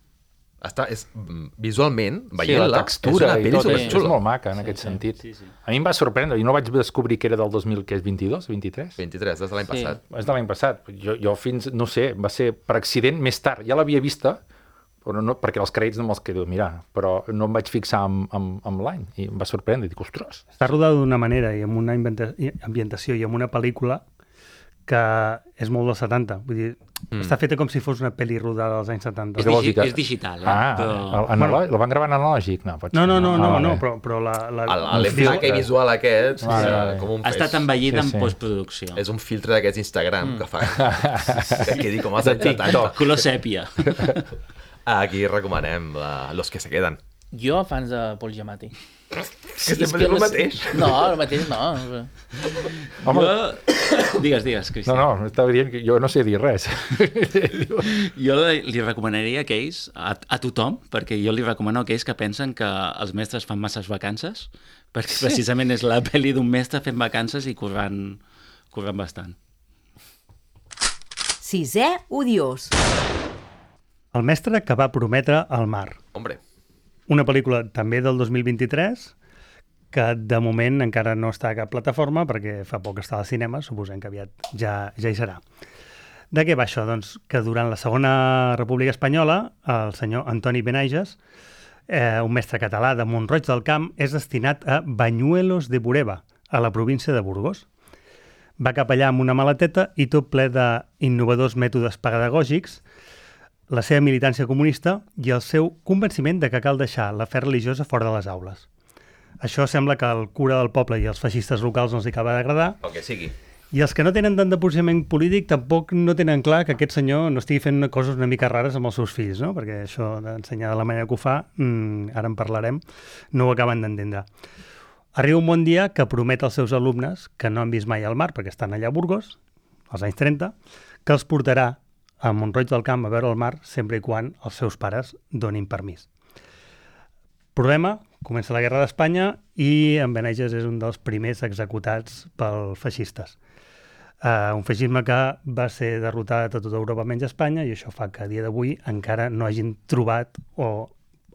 Visualment, Sí, veient-la, la textura és una i pel·li tot, és superxula. molt maca en aquest sentit. sí. A mi em va sorprendre, jo no vaig descobrir que era del 2022, 23? 23, des de l'any Sí. passat. És de l'any passat. Jo fins, no sé, va ser per accident més tard. Ja l'havia vista, però no, perquè els crèdits no me'ls quedo mirant, però no em vaig fixar amb l'any i em va sorprendre. Dic, ostres, Està rodada d'una manera i amb una ambientació i amb una pel·lícula que és molt dels 70. Vull dir, està feta com si fos una pel·li rodada dels anys 70. És lògica. és digital, Ah, però... la van gravar en analògic? No, pot ser. No, vale. però L'empaque visual aquest, Vale. com un Ha estat envellida Sí, en sí. postproducció. és un filtre d'aquests Instagram que fa que quedi com als anys 70. TikTok. Color sèpia. Aquí recomanem Los que se queden. Jo, fans de Paul Giamatti. Que sempre és el mateix. No, el mateix no. Home, Digues, Cristian. no, estava dient que jo no sé dir res. Jo li recomanaria aquells a tothom, perquè jo li recomano a aquells que pensen que els mestres fan masses vacances, perquè precisament és la pel·li d'un mestre fent vacances i corrent bastant. Sisè odiós. El mestre que va prometre el mar. Hombre, Una pel·lícula també del 2023 que de moment encara no està a cap plataforma perquè fa poc està al cinema, suposem que aviat ja hi serà. De què va això? Doncs que durant la Segona República Espanyola el senyor Antoni Benages, un mestre català de Mont-roig del Camp, és destinat a Bañuelos de Bureba, a la província de Burgos. Va cap allà amb una maleteta i tot ple d'innovadors mètodes pedagògics, la seva militància comunista i el seu convenciment de que cal deixar la fe religiosa fora de les aules. Això sembla que el cura del poble i els feixistes locals no els acaba d'agradar, el que sigui. i els que no tenen tant de posicionament polític tampoc no tenen clar que aquest senyor no estigui fent coses una mica rares amb els seus fills, no? Perquè això d'ensenyar de la manera que ho fa, ara en parlarem, no ho acaben d'entendre. Arriba un bon dia que promet als seus alumnes, que no han vist mai el mar perquè estan allà a Burgos, als anys 30, que els portarà a Mont-roig del Camp a veure el mar sempre i quan els seus pares donin permís. Problema, comença la Guerra d'Espanya i en Benages és un dels primers executats pels feixistes. Un feixisme que va ser derrotat a tota Europa menys Espanya i això fa que a dia d'avui encara no hagin trobat o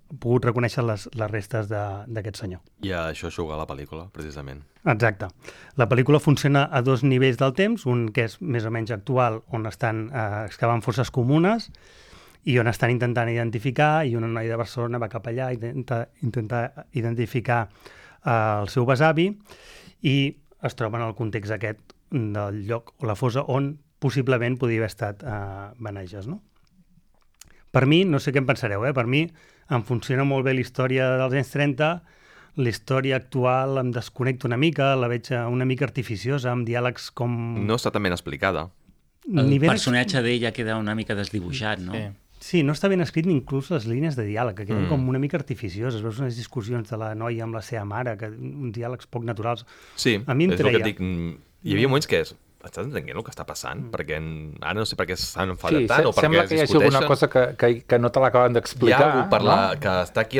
pogut reconèixer les restes d'aquest senyor. I a això juga la pel·lícula, precisament. Exacte. La pel·lícula funciona a dos nivells del temps, un que és més o menys actual, on estan excavant fosses comunes i on estan intentant identificar, i una noia de Barcelona va cap allà i intentar identificar el seu besavi i es troba en el context aquest del lloc o la fossa on possiblement podia haver estat Benages, no? Per mi, no sé què en pensareu, per mi em funciona molt bé la història dels anys 30, la història actual em desconnecta una mica, la veig una mica artificiosa, amb diàlegs com... No està tan ben explicada. El ni ben personatge d'ella queda una mica desdibuixat, no? Sí. Sí, no està ben escrit ni inclús les línies de diàleg, que queden com una mica artificioses. Veus unes discussions de la noia amb la seva mare, uns diàlegs poc naturals. Sí, A mi em és el que treia. et dic. Hi havia moments que estàs entenent el que està passant? Perquè ara no sé per què s'han enfadat Sí, tant o per sembla què que hi es hagi alguna discuteixen. cosa que no te l'acaben Hi ha d'explicar. algú per que està aquí,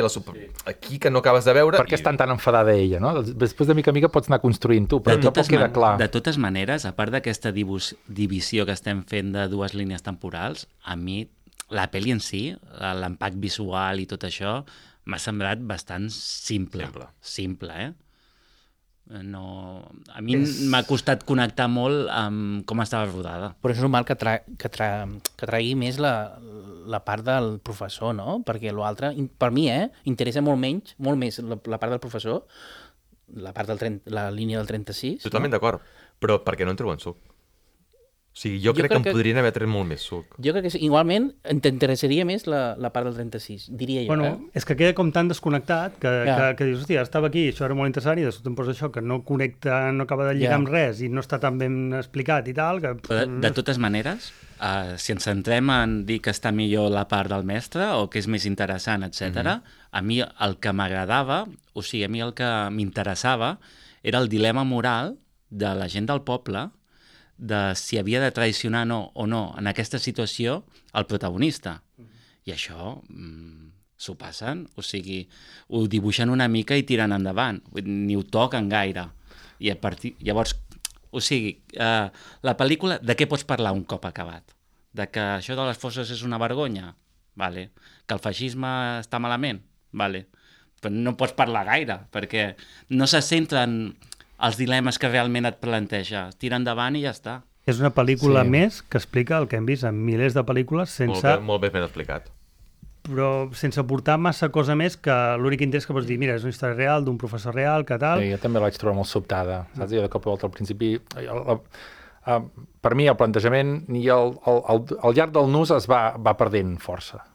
aquí que no acabes de veure. Per què estan tan enfadada ella, no? Després de mica en mica pots anar construint tu, però tampoc queda clar. De totes maneres, a part d'aquesta divisió que estem fent de dues línies temporals, a mi la pel·li en si, l'empac visual i tot això, m'ha semblat bastant simple. Simple, No... A mi m'ha costat connectar molt amb com estava rodada. Però és normal que tregui més la part del professor, no? Perquè l'altre, per mi, interessa molt més la part del professor, la part la línia del 36. Totalment d'acord, però perquè no en treuen suc. sigui, jo crec que en podrien haver tret molt més suc. Jo crec que igualment t'interessaria més la part del 36, diria jo. Bueno, és que queda com tan desconnectat que dius, hòstia, estava aquí, això era molt interessant, i després te'n posa això, que no connecta, no acaba de lligar amb res, i no està tan ben explicat i tal, que... De totes maneres, si ens centrem en dir que està millor la part del mestre o que és més interessant, etc. A mi el que m'agradava, o sigui, a mi el que m'interessava era el dilema moral de la gent del poble de si havia de traicionar o no en aquesta situació el protagonista. I això s'ho passen, o sigui, ho dibuixen una mica i tiren endavant, ni ho toquen gaire. I llavors, o sigui, la pel·lícula, de què pots parlar un cop acabat? De que això de les fosses és una vergonya? Vale. Que el feixisme està malament? Vale. Però no pots parlar gaire, perquè no se centren els dilemes que realment et planteja. Tira endavant i ja està. És una pel·lícula més que explica el que hem vist en milers de pel·lícules sense... Molt bé ben explicat. Però sense portar massa cosa més que l'únic interès que pots dir, mira, és una història real d'un professor real, que tal... Sí, jo també la vaig trobar molt sobtada. Saps? Jo de cop i volta al principi... per mi el plantejament i al llarg del nus es va perdent força.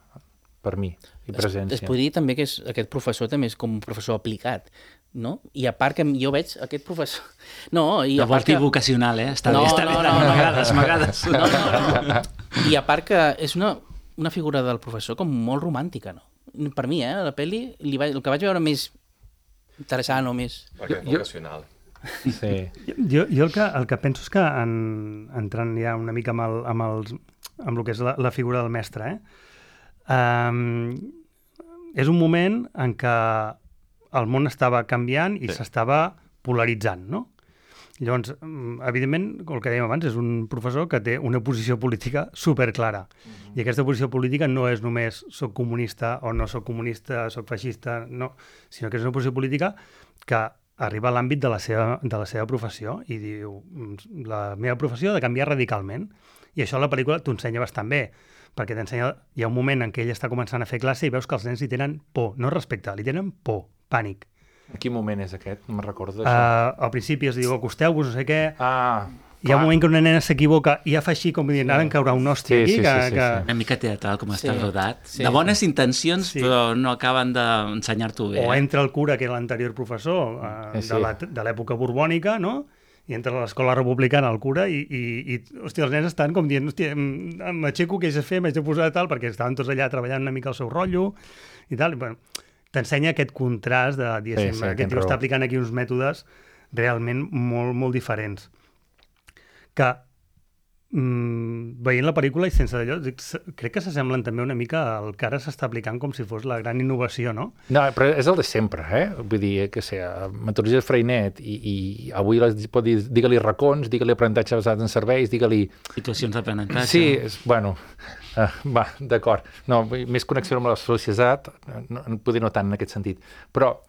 Per mi, i presència. Es podria dir també que aquest professor també és com un professor aplicat, no? I a part que jo veig aquest professor... No, i de a part que... vocacional, Està bé. M'agrades. No. I a part que és una figura del professor com molt romàntica, no? Per mi, la pel·li, el que vaig veure més interessant o més... Perquè és vocacional. Sí. Jo el que penso és que, entrant ja una mica amb el que és la figura del mestre, és un moment en què el món estava canviant i s'estava polaritzant, no? Llavors, evidentment, el que dèiem abans, és un professor que té una posició política superclara. I aquesta posició política no és només soc comunista o no soc comunista, soc feixista, no, sinó que és una posició política que arriba a l'àmbit de la seva professió i diu, la meva professió ha de canviar radicalment. I això la pel·lícula t'ho ensenya bastant bé, perquè hi ha un moment en què ell està començant a fer classe i veus que els nens li tenen por, no respecte, li tenen por, pànic. En quin moment és aquest? No me'n recordo d'això. Al principi es diu, acosteu-vos, no sé què... Hi ha clar. un moment que una nena s'equivoca i ja fa així com dient, ara em caurà un hòstia aquí. Sí. Una mica teatral com està rodat. De bones intencions, però no acaben d'ensenyar-t'ho bé. O entra el cura, que era l'anterior professor de l'època borbònica, no? I entra a l'escola republicana el cura i hòstia, els nens estan com dient, hòstia, m'aixeco, què haig de fer, m'haig de posar tal, perquè estaven tots allà treballant una mica el seu rotllo i tal. Bueno, t'ensenya aquest contrast de, diguéssim, aquest tio està aplicant aquí uns mètodes realment molt, molt diferents. Que veient la pel·lícula i sense d'allò, crec que s'assemblen també una mica al que ara s'està aplicant com si fos la gran innovació, no? No, però és el de sempre, Vull dir, que sé, metodologia Freinet i avui pot dir, digue-li racons, digue-li aprenentatge basat en serveis, digue-li... Situacions d'aprenentatge. Sí, bueno, va, d'acord. No, més connexió amb la societat, potser no tant en aquest sentit, però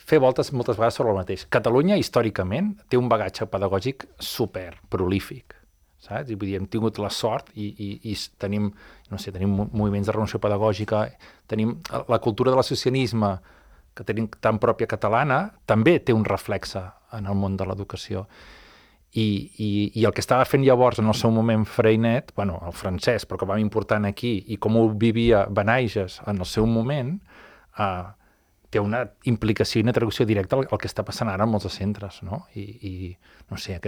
fer voltes moltes vegades sobre el mateix. Catalunya, històricament, té un bagatge pedagògic super prolífic, saps? I vull dir, hem tingut la sort i tenim, no sé, tenim moviments de renovació pedagògica, tenim la cultura de l'associacionisme, que tenim tan pròpia catalana, també té un reflexe en el món de l'educació. I el que estava fent llavors en el seu moment Freinet, bueno, el francès, però que vam important aquí, i com ho vivia Benaiges en el seu moment, té una implicació i una traducció directa al que està passant ara en molts centres, no? I no sé,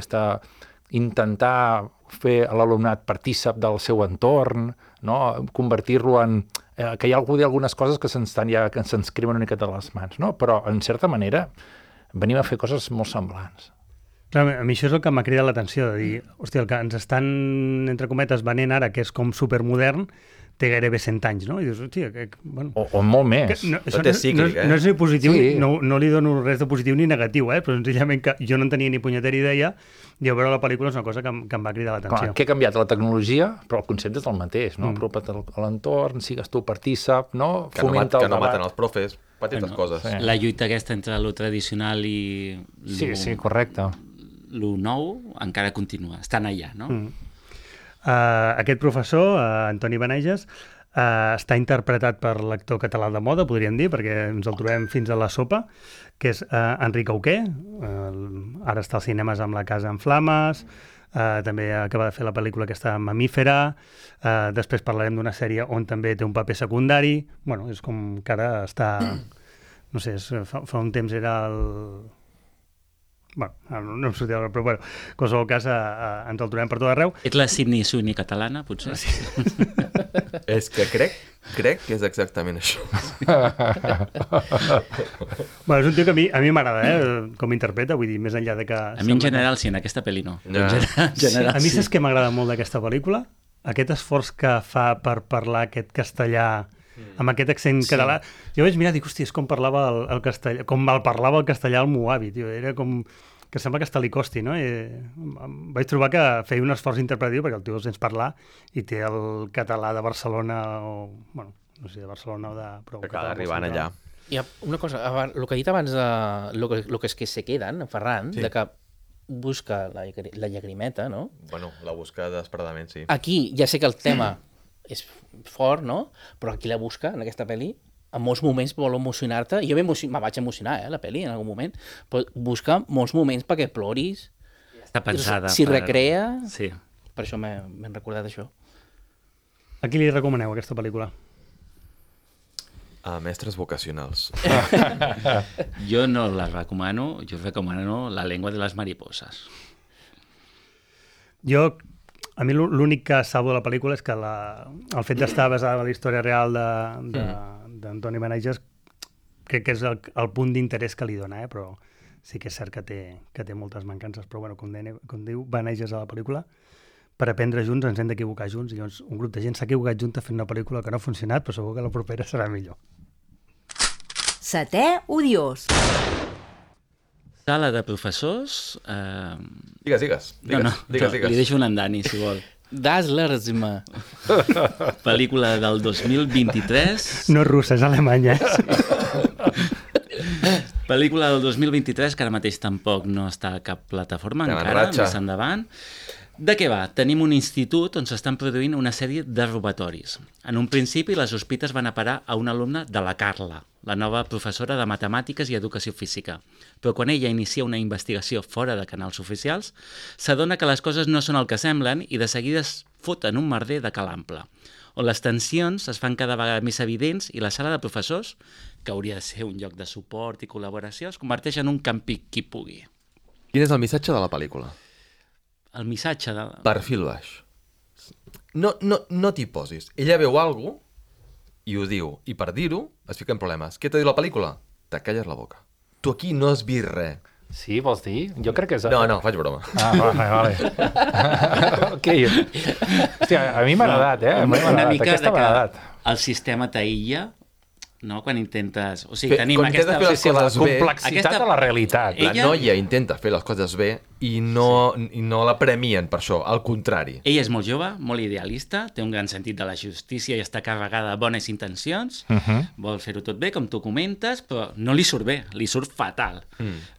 intentar fer l'alumnat partícip del seu entorn, no? Convertir-lo en... que hi ha algunes coses que se'ns creuen una miqueta de les mans, no? Però, en certa manera, venim a fer coses molt semblants. Clar, a mi això és el que m'ha cridat l'atenció, de dir, hòstia, el que ens estan, entre cometes, venent ara, que és com supermodern, té gairebé 100 anys, no? I dius, hòstia, bueno... O molt més. No és ni positiu, no li dono res de positiu ni negatiu, però senzillament que jo no en tenia ni punyetera idea, i a veure la pel·lícula és una cosa que em va cridar l'atenció. Clar, què ha canviat? La tecnologia, però el concepte és el mateix, no? Apropa't a l'entorn, sigues tu partícip, no? Que no maten els profes, petites coses. Sí. La lluita aquesta entre lo tradicional i... Sí, correcte. Lo nou encara continua, estan allà, no? Aquest professor, Antoni Benaiges, està interpretat per l'actor català de moda, podríem dir, perquè ens el trobem fins a la sopa, que és Enric Auqué, ara està als cinemes amb La casa en flames, també acaba de fer la pel·lícula aquesta Mamífera, després parlarem d'una sèrie on també té un paper secundari. Bueno, és com que ara està... No sé, fa un temps era el... Bueno, no em sortia, però bueno, en qualsevol cas ens el trobem per tot arreu. Ets la Sydney Sweeney catalana, potser? Sí. És que crec que és exactament això. Bueno, és un tio que a mi m'agrada, com interpreta, vull dir, més enllà de que... A mi en general sí, en aquesta pel·li no. Ja. En general, A mi saps què m'agrada molt d'aquesta pel·lícula? Aquest esforç que fa per parlar aquest castellà amb aquest accent català. Jo vaig mirar i dic, hòstia, és com parlava el castellà, com el parlava el castellà al Moavi, tio. Era com que sembla que hasta li costi, no? Vaig trobar que feia un esforç interpretatiu perquè el tio el sents parlar i té el català de Barcelona o, bueno, no sé, de Barcelona o de... Que acaba arribant allà. Hi ha una cosa, el que ha dit abans, lo que és que se queden, Ferran, Sí. de que busca la llagrimeta, no? Bueno, la busca desesperadament, sí. Aquí ja sé que el tema és fort, no? Però aquí la busca, en aquesta pel·li, en molts moments vol emocionar-te. Jo me vaig emocionar, la pel·li, en algun moment. Però busca molts moments perquè ploris. està pensada. S'hi recrea. Sí. Per això m'he recordat això. A qui li recomaneu aquesta pel·lícula? A mestres vocacionals. Jo no la recomano, jo recomano La lengua de les mariposas. A mi l'únic que salvo de la pel·lícula és que el fet d'estar basada en la història real d'Antoni Benages crec que és el punt d'interès que li dona, però sí que és cert que té moltes mancances, però bueno, com diu Benages a la pel·lícula, per aprendre junts ens hem d'equivocar junts, i llavors un grup de gent s'ha equivocat junta fent una pel·lícula que no ha funcionat, però segur que la propera serà millor. Setè odiós. Sala de professors... Digues. Li deixo un Dani, si vol. Das l'Erzma. Pel·lícula del 2023. No és russa, és alemanya. Pel·lícula del 2023, que ara mateix tampoc no està a cap plataforma Estem en encara, ratxa. més endavant. De què va? Tenim un institut on s'estan produint una sèrie de robatoris. En un principi, les sospites van a parar a una alumna de la Carla, la nova professora de Matemàtiques i Educació Física. Però quan ella inicia una investigació fora de canals oficials, s'adona que les coses no són el que semblen i de seguida es foten un merder de calample, on les tensions es fan cada vegada més evidents i la sala de professors, que hauria de ser un lloc de suport i col·laboració, es converteix en un campi qui pugui. Quin és el missatge de la pel·lícula? El missatge de... Perfil baix. No t'hi posis. Ella veu alguna cosa i ho diu. I per dir-ho es fica en problemes. Què t'ha dit la pel·lícula? Te calles la boca. Tu aquí no has vist res. Sí, vols dir? Jo crec que és... No, faig broma. Vale. Ok. Hòstia, a mi m'ha agradat, A mi m'ha Una agradat. mica Aquesta de m'ha que agradat. el sistema t'aïlla, no? Quan intentes... O sigui, tenim quan aquesta... intentes fer les La coses bé, complexitat de la realitat. la Ella- noia intenta fer les coses bé i no la premien per això, al contrari. Ella és molt jove, molt idealista, té un gran sentit de la justícia i està carregada de bones intencions, vol fer-ho tot bé, com tu comentes, però no li surt bé, li surt fatal.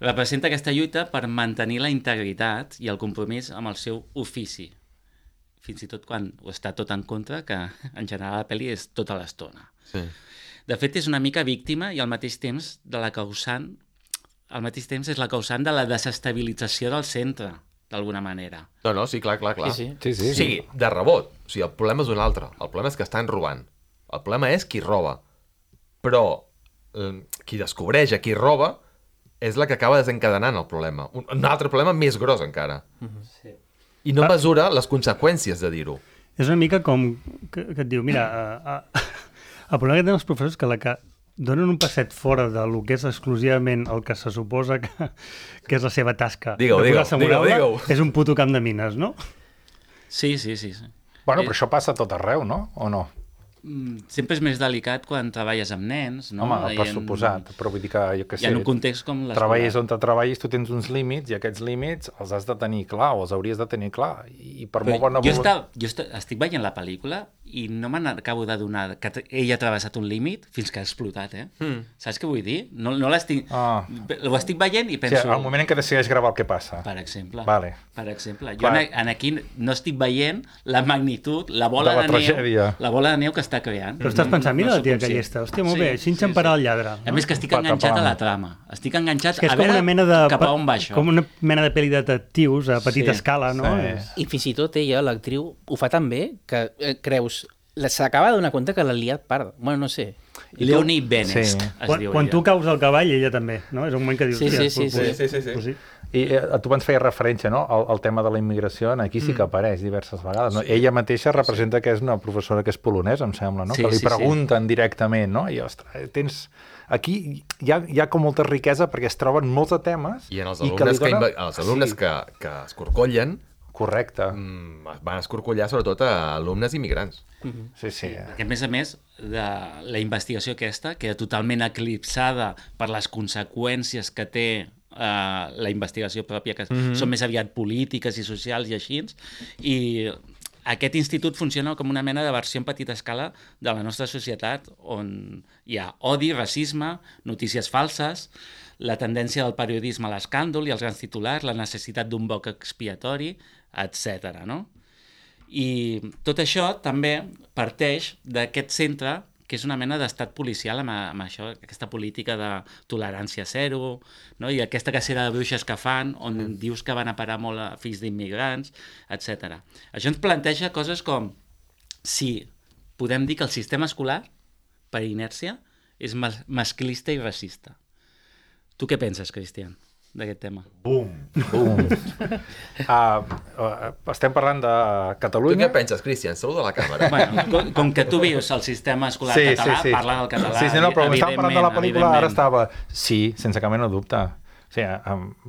Representa aquesta lluita per mantenir la integritat i el compromís amb el seu ofici, fins i tot quan ho està tot en contra, que en general la pel·li és tota l'estona. Sí. De fet, és una mica víctima i al mateix temps de la causant, al mateix temps és la causant de la desestabilització del centre, d'alguna manera. No, sí, clar. Sí. Sí. O sigui, de rebot. O sigui, el problema és un altre. El problema és que estan robant. El problema és qui roba. Però qui descobreix a qui roba és la que acaba desencadenant el problema. Un altre problema més gros encara. Sí. I no mesura les conseqüències de dir-ho. És una mica com que et diu, mira, el problema que tenen els professors és que donen un passet fora de lo que és exclusivament el que se suposa que és la seva tasca. Digue-ho, de posar-se digue-ho, amb una aula, digue-ho. És un puto camp de mines, no? Sí. Bueno, però això passa a tot arreu, no? O no? Sempre és més delicat quan treballes amb nens, no? Home, per I suposat, però vull dir que, jo què I sé, en un context com l'escola. treballis on te treballis, tu tens uns límits i aquests límits els has de tenir clar o els hauries de tenir clar. I per molt bona Estic veient la pel·lícula i no me n'acabo d'adonar que ell ha travessat un límit fins que ha explotat, Saps què vull dir? No l'estic... Ho estic veient i O penso... sigui, al moment en què decideix gravar el que passa. Per exemple. Vale. Per exemple. Jo Clar. en aquí no estic veient la magnitud, la bola De la de neu, tragèdia. la bola de neu que està creant. Però estàs pensant, mira la sóc tia conscient. que llesta, hòstia, molt bé, així ens emparà el lladre. A més que estic Pata enganxat a plana. la trama. Estic enganxat Que és a com veure una mena de... cap a on va això. Com una mena de pel·li de detectius a petita Sí. escala, no? Sí. I fins i tot ella, l'actriu, ho fa tan bé que creus... S'acaba de donar compte que l'ha liat part. Bueno, no sé. Leonie Benes, Sí. es diu Quan ella. tu caus al cavall, ella també, no? És un moment que dius... Sí, "Hòstia, sí, sí, pues sí. I tu abans feies referència, no?, al tema de la immigració, aquí sí que apareix diverses vegades. No? Ella mateixa representa que és una professora que és polonesa, em sembla, no? Sí, Que li sí, sí. pregunten directament, no? I, ostres, tens... Aquí hi ha com molta riquesa perquè es troben molts de temes I en els que li alumnes, donen- els alumnes Sí, que escorcollen correcte. van escorcollar sobretot a alumnes immigrants. Sí, sí. Que, a més, de la investigació aquesta queda totalment eclipsada per les conseqüències que té la investigació pròpia, que són més aviat polítiques i socials i així, i aquest institut funciona com una mena de versió en petita escala de la nostra societat, on hi ha odi, racisme, notícies falses, la tendència del periodisme a l'escàndol i els grans titulars, la necessitat d'un boc expiatori, etc. No? I tot això també parteix d'aquest centre que és una mena d'estat policial amb això, aquesta política de tolerància zero, no? I aquesta cacera de bruixes que fan, on dius que van a parar molt a fills d'immigrants, etc. Això ens planteja coses com si podem dir que el sistema escolar, per inèrcia, és masclista i racista. Tu què penses, Cristian, d'aquest tema? Bum! Estem parlant de Tu Catalunya. què penses, Cristian? Saluda la càmera. Bueno, com que tu vius el sistema escolar català, parla del català, Sí, no, però estàvem parlant de la pel·lícula, ara evidentment. estava... Sí, sense cap mena de dubte. O sigui,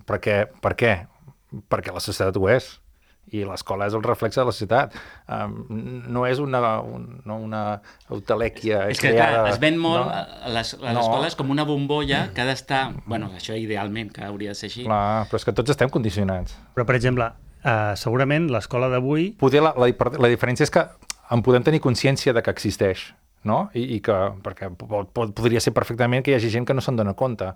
per què? Perquè la societat ho és. I l'escola és el reflexe de la societat. No és una eutelèquia És que, creada... clar, es ven molt no? a les escoles com una bombolla que ha d'estar... Bueno, això idealment, que hauria de ser així. Clar, però és que tots estem condicionats. Però, per exemple, segurament l'escola d'avui... Poder la diferència és que en podem tenir consciència de que existeix, no? I que, perquè podria ser perfectament que hi hagi gent que no se'n dona compte.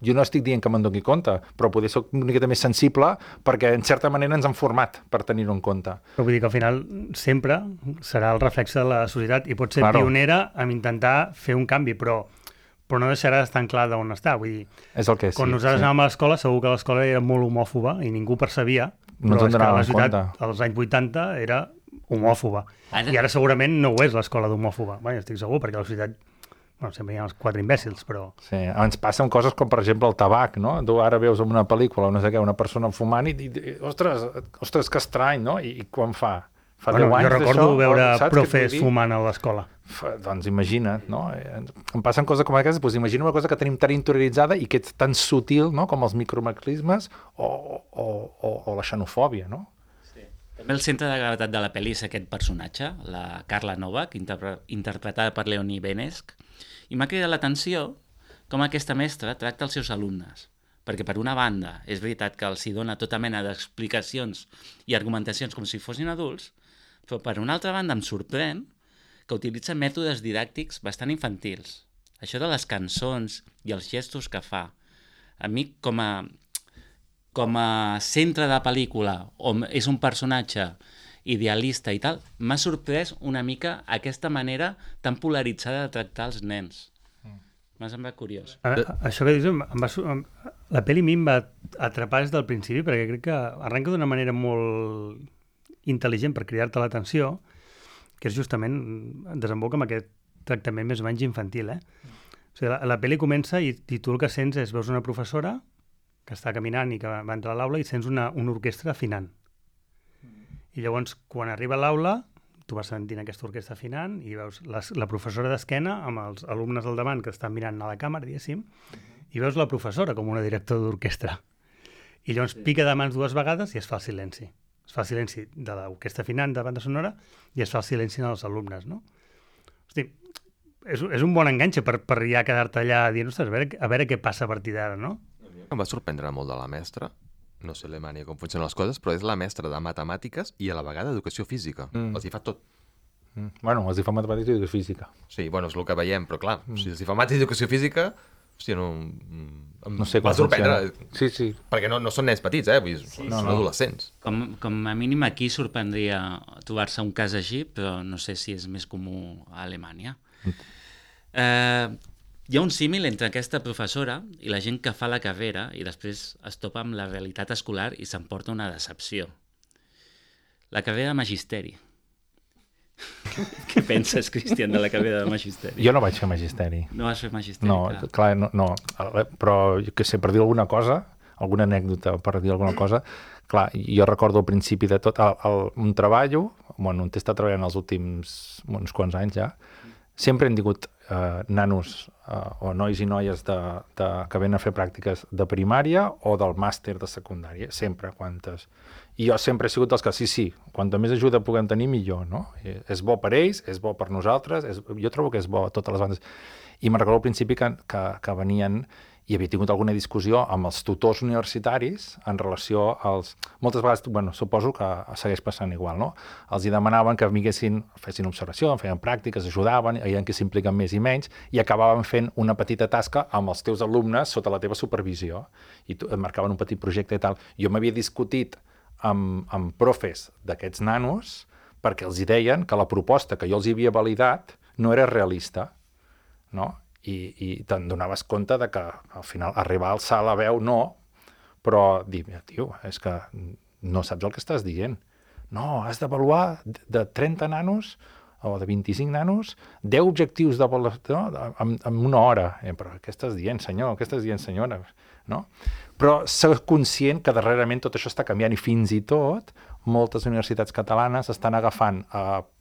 Jo no estic dient que me'n doni compte, però poder ser una miqueta més sensible perquè en certa manera ens han format per tenir-ho en compte. Però vull dir que al final sempre serà el reflexe de la societat i pot ser pionera en intentar fer un canvi, però no deixarà d'estar en clar d'on està. Vull dir, És el que és, quan nosaltres anàvem a l'escola, segur que l'escola era molt homòfoba i ningú percebia, No ens però en és que donàvem la societat compte. als anys 80 era homòfoba. Ara- I ara segurament no ho és l'escola d'homòfoba. Bé, estic segur, perquè a la societat sempre hi ha els quatre imbècils, però... Sí, ens passen coses com, per exemple, el tabac, no? Tu ara veus en una pel·lícula, no sé què, una persona fumant i ostres, que estrany, no? I quan fa? Fa 10 anys jo recordo d'això? veure Saps què et profes vull dir? fumant a l'escola. Doncs imagina't, no? Em passen coses com aquestes, doncs imagina una cosa que tenim tan interioritzada i que és tan sutil, no?, com els micromaclismes o la xenofòbia, no? També el centre de gravetat de la pel·li és aquest personatge, la Carla Novak, interpretada per Leonie Benesch, i m'ha cridat l'atenció com aquesta mestra tracta els seus alumnes. Perquè, per una banda, és veritat que els hi dona tota mena d'explicacions i argumentacions com si fossin adults, però, per una altra banda, em sorprèn que utilitza mètodes didàctics bastant infantils. Això de les cançons i els gestos que fa. A mi, com a centre de pel·lícula, on és un personatge idealista i tal, m'ha sorprès una mica aquesta manera tan polaritzada de tractar els nens. M'ha semblat curiós. Això que dius, la pel·li a mi em va atrapar des del principi, perquè crec que arrenca d'una manera molt intel·ligent per cridar-te l'atenció, que és justament, desemboca amb aquest tractament més o menys infantil. O sigui, la pel·li comença i tu el que sents és, veus una professora que està caminant i que va entrar a l'aula i sents una orquestra afinant. I llavors, quan arriba a l'aula, tu vas sentint aquesta orquestra afinant i veus la professora d'esquena amb els alumnes al davant que estan mirant a la càmera, diguéssim, i veus la professora com una directora d'orquestra. I llavors pica de mans dues vegades i es fa el silenci. Es fa el silenci de l'orquestra afinant de banda sonora i es fa el silenci dels alumnes, no? Hosti, és un bon enganxe per ja quedar-te allà dient, ostres, a veure què passa a partir d'ara, no? Em va sorprendre molt de la mestra, no sé Alemanya com funcionen les coses, però és la mestra de matemàtiques i a la vegada educació física. Els hi fa tot. Bueno, els hi fa matemàtiques i educació física. Sí, bueno, és el que veiem, però clar, si els hi fa mates i educació física, Hòstia, no... No sé va com sorprendre. funciona. Sí, sí. Perquè no són nens petits, Vull dir, són adolescents. Com a mínim aquí sorprendria trobar-se un cas així, però no sé si és més comú a Alemanya. Hi ha un símil entre aquesta professora i la gent que fa la carrera i després es topa amb la realitat escolar i s'emporta una decepció. La carrera de magisteri. Què penses, Cristian, de la carrera de magisteri? Jo no vaig fer magisteri. No vas fer magisteri? No, clar, no. Però, jo què sé, per dir alguna cosa, alguna anècdota per dir alguna cosa, clar, jo recordo al principi de tot, un treballo, on he estat treballant els últims uns quants anys ja, sempre hem tingut nanos o nois i noies que venen a fer pràctiques de primària o del màster de secundària, sempre, quantes. I jo sempre he sigut dels que, sí, quanta més ajuda puguem tenir, millor, no? És bo per ells, és bo per nosaltres, jo trobo que és bo a totes les bandes. I me'n recordo al principi que venien i havia tingut alguna discussió amb els tutors universitaris en relació als... Moltes vegades, suposo que segueix passant igual, no? Els hi demanaven que fessin observació, feien pràctiques, ajudaven, veien que s'impliquen més i menys, i acabaven fent una petita tasca amb els teus alumnes sota la teva supervisió. I et marcaven un petit projecte i tal. Jo m'havia discutit amb profes d'aquests nanos perquè els hi deien que la proposta que jo els havia validat no era realista, no? I te'n donaves compte de que al final arribar a alçar la veu no, però dir, tio, és que no saps el que estàs dient. No, has d'avaluar de 30 nanos o de 25 nanos 10 objectius d'avaluació en una hora. Però què estàs dient, senyor? Què estàs dient, senyora? No? Però ser conscient que darrerament tot això està canviant i fins i tot moltes universitats catalanes estan agafant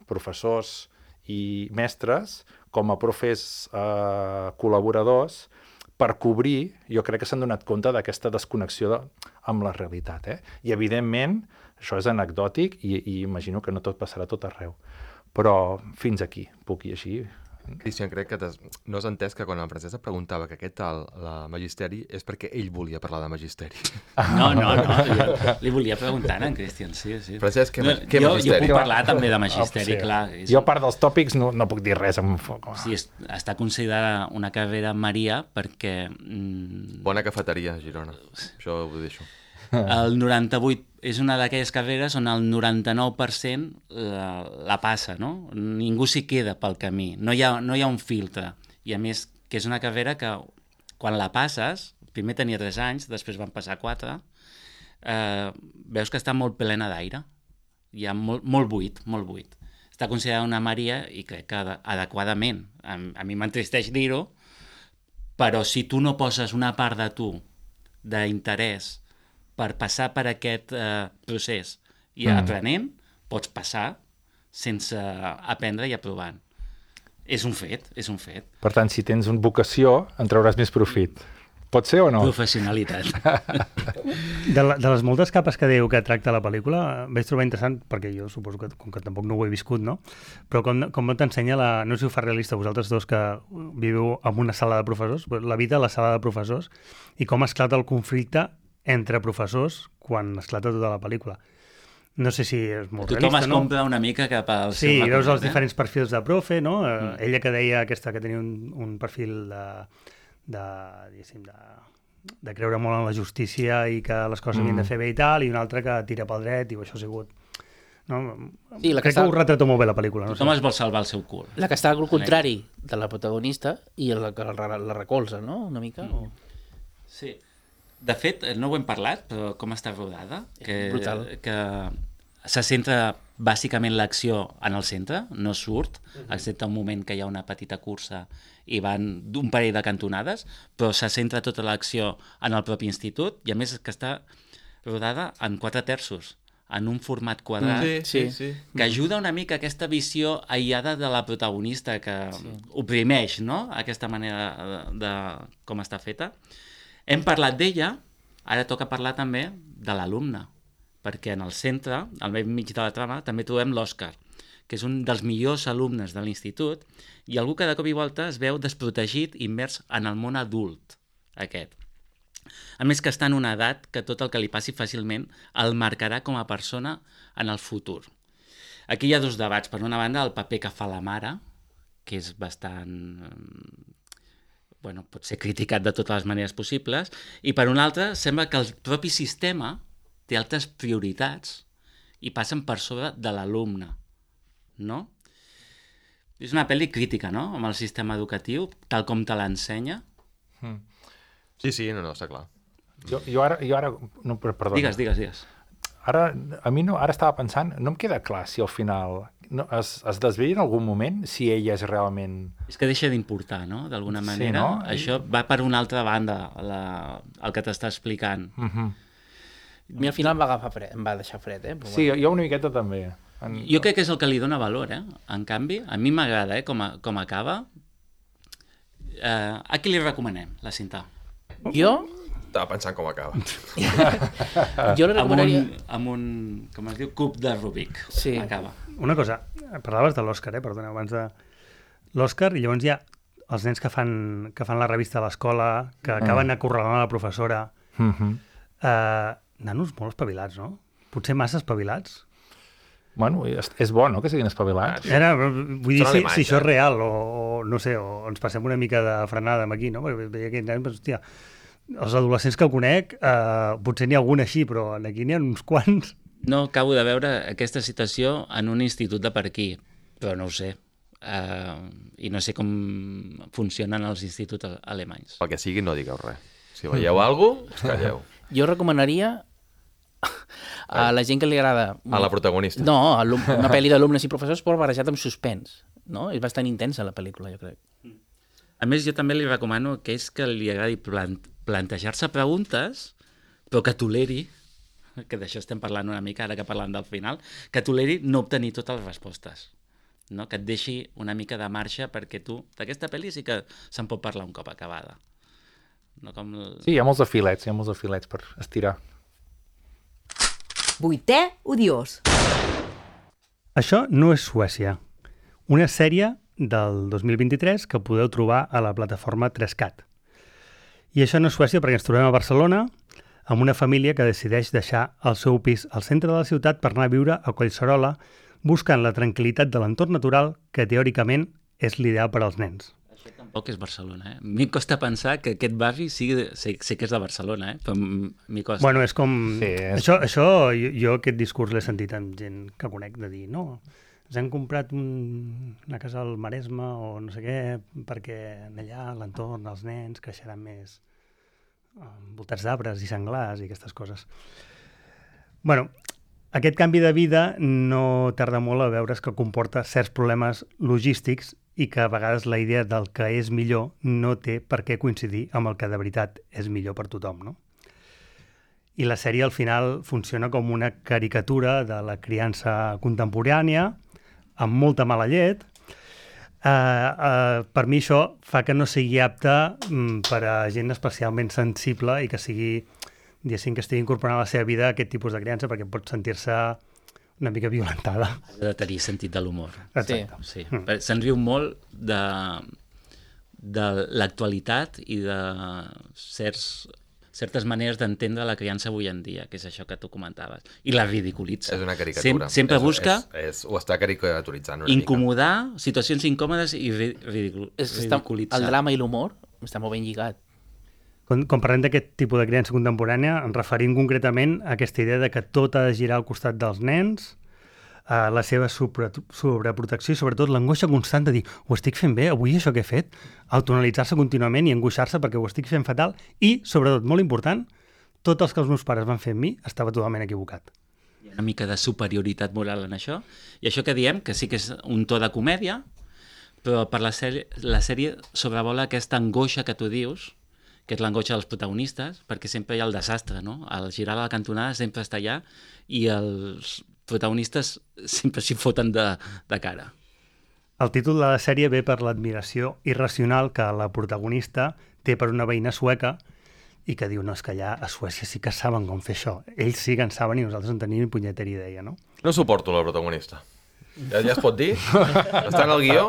professors i mestres com a profes col·laboradors per cobrir, jo crec que s'han donat compte d'aquesta desconnexió amb la realitat. I, evidentment, això és anecdòtic i imagino que no tot passarà tot arreu. Però fins aquí, puc ir així. Cristian, crec que no has entès que quan el Francesc preguntava que aquest tal, la magisteri, és perquè ell volia parlar de magisteri. No, li volia preguntar en Cristian, sí. Francesc, què magisteri? Jo puc parlar també de magisteri, clar. Jo, a part dels tòpics, no puc dir res amb foc. Sí, està considerada una carrera Maria perquè... Bona cafeteria, Girona. Això ho deixo. El 98 és una d'aquelles carreres on el 99% la passa, no? Ningú s'hi queda pel camí, no hi ha un filtre. I a més, que és una carrera que quan la passes, primer tenia 3 anys, després van passar 4, veus que està molt plena d'aire. Hi ha molt buit. Està considerada una Maria i crec que adequadament. A mi m'entristeix dir-ho, però si tu no poses una part de tu d'interès per passar per aquest procés i aprenent, pots passar sense aprendre i aprovant. És un fet. Per tant, si tens una vocació, en trauràs més profit. Pot ser o no? Professionalitat. De les moltes capes que diu que tracta la pel·lícula, vaig trobar interessant, perquè jo suposo que, com que tampoc no ho he viscut, no? Però com t'ensenya, no sé si ho fa realista vosaltres dos que viviu en una sala de professors, la vida a la sala de professors, i com esclata el conflicte entre professors quan esclata tota la pel·lícula. No sé si és molt realista, no? Tothom es compra una mica cap al seu... Sí, veus els diferents perfils de profe, no? Ella que deia aquesta que tenia un perfil de creure molt en la justícia i que les coses havien de fer bé i tal, i una altra que tira pel dret, i això ha sigut... No? Sí, crec que ho retrata molt bé la pel·lícula. Tothom es vol salvar el seu cul. La que està al contrari de la protagonista i la que la recolza, no? Una mica. Sí. De fet, no ho hem parlat, però com està rodada, brutal. Que se centra bàsicament l'acció en el centre, no surt, excepte un moment que hi ha una petita cursa i van d'un parell de cantonades, però se centra tota l'acció en el propi institut, i a més que està rodada en 4/3, en un format quadrat, sí. que ajuda una mica a aquesta visió aïllada de la protagonista, que oprimeix, no?, aquesta manera de com està feta. Hem parlat d'ella, ara toca parlar també de l'alumne, perquè en el centre, al mig de la trama, també trobem l'Òscar, que és un dels millors alumnes de l'institut, i algú que de cop i volta es veu desprotegit, immers en el món adult, aquest. A més que està en una edat que tot el que li passi fàcilment el marcarà com a persona en el futur. Aquí hi ha 2 debats. Per una banda, el paper que fa la mare, que és bastant bueno, pot ser criticat de totes les maneres possibles, i per una altra sembla que el propi sistema té altres prioritats i passen per sobre de l'alumne, no? És una pel·li crítica, no?, amb el sistema educatiu, tal com te l'ensenya. Sí, no, està clar. Jo ara... No, perdona. Digues. Ara estava pensant, no em queda clar si al final es desvella en algun moment si ella és realment... És que deixa d'importar, no?, d'alguna manera. Sí, no? Això va per una altra banda, el que t'està explicant. A mi al final em va deixar fred, Sí, jo una miqueta també. Jo crec que és el que li dona valor, En canvi, a mi m'agrada, com acaba. A qui li recomanem, la cinta? Jo? Estava pensant com acaba. Jo li recomanaria... Amb un, com es diu, cub de Rubik. Sí. Acaba. Una cosa, parlaves de l'Òscar, perdoneu, abans de l'Òscar, i llavors hi ha els nens que fan la revista a l'escola, que acaben acorralant a la professora. Nanos molt espavilats, no? Potser massa espavilats. Bueno, és bo, no?, que siguin espavilats. Vull dir, si això és real, o no sé, o ens passem una mica de frenada amb aquí, no? Perquè veia aquells nens, hòstia, els adolescents que conec, potser n'hi ha algun així, però aquí n'hi ha uns quants. No acabo de veure aquesta situació en un institut de per aquí, però no ho sé. I no sé com funcionen els instituts alemanys. Pel que sigui, no digueu res. Si veieu alguna cosa, calleu. Jo recomanaria a la gent que li agrada... A la protagonista. No, una pel·li d'alumnes i professors, però barrejat amb suspens. No? És bastant intensa la pel·lícula, jo crec. A més, jo també li recomano a aquells que li agradi plantejar-se preguntes, però que toleri, que d'això estem parlant una mica, ara que parlant del final, que toleri no obtenir totes les respostes. No? Que et deixi una mica de marxa perquè tu, d'aquesta pel·li sí que se'n pot parlar un cop acabada. No com Sí, hi ha molts de filets per estirar. Vuitè odiós. Això no és Suècia. Una sèrie del 2023 que podeu trobar a la plataforma 3CAT. I això no és Suècia perquè ens trobem a Barcelona amb una família que decideix deixar el seu pis al centre de la ciutat per anar a viure a Collserola buscant la tranquil·litat de l'entorn natural que teòricament és l'ideal per als nens. Això tampoc és Barcelona, A mi em costa pensar que aquest barri sé que és de Barcelona, Però m'hi costa. Bueno, és com... Sí, Això jo aquest discurs l'he sentit amb gent que conec de dir, no, ens hem comprat una casa al Maresme o no sé què, perquè allà l'entorn, els nens creixeran més envoltats d'arbres i senglars i aquestes coses. Bueno, aquest canvi de vida no tarda molt a veure's que comporta certs problemes logístics i que a vegades la idea del que és millor no té per què coincidir amb el que de veritat és millor per tothom, no? I la sèrie al final funciona com una caricatura de la criança contemporània, amb molta mala llet. Per mi això fa que no sigui apte per a gent especialment sensible i que sigui, diguéssim, que estigui incorporant a la seva vida aquest tipus de criança perquè pot sentir-se una mica violentada. Ha de tenir sentit de l'humor. Exacte. Sí. Se'n riu molt de l'actualitat i de certes maneres d'entendre la criança avui en dia, que és això que tu comentaves. I la ridiculitza. És una caricatura. Sempre busca ho està caricaturitzant una incomodar, situacions incòmodes i ridiculitzar. El drama i l'humor està molt ben lligat. Quan parlem d'aquest tipus de criança contemporània, ens referim concretament a aquesta idea de que tot ha de girar al costat dels nens, la seva sobreprotecció i sobretot l'angoixa constant de dir ho estic fent bé, avui això que he fet, autoanalitzar-se contínuament i angoixar-se perquè ho estic fent fatal i, sobretot, molt important, tot el que els meus pares van fer amb mi estava totalment equivocat. Hi ha una mica de superioritat moral en això, i això que diem, que sí que és un to de comèdia, però per la sèrie sobrevola aquesta angoixa que tu dius, que és l'angoixa dels protagonistes, perquè sempre hi ha el desastre, no? El girar a la cantonada sempre està allà i els protagonistes sempre s'hi foten de cara. El títol de la sèrie ve per l'admiració irracional que la protagonista té per una veïna sueca i que diu, no, és que allà a Suècia sí que saben com fer això. Ells sí que en saben i nosaltres en tenim ni punyetera idea, no? No suporto la protagonista. Ja es pot dir? Està en el guió?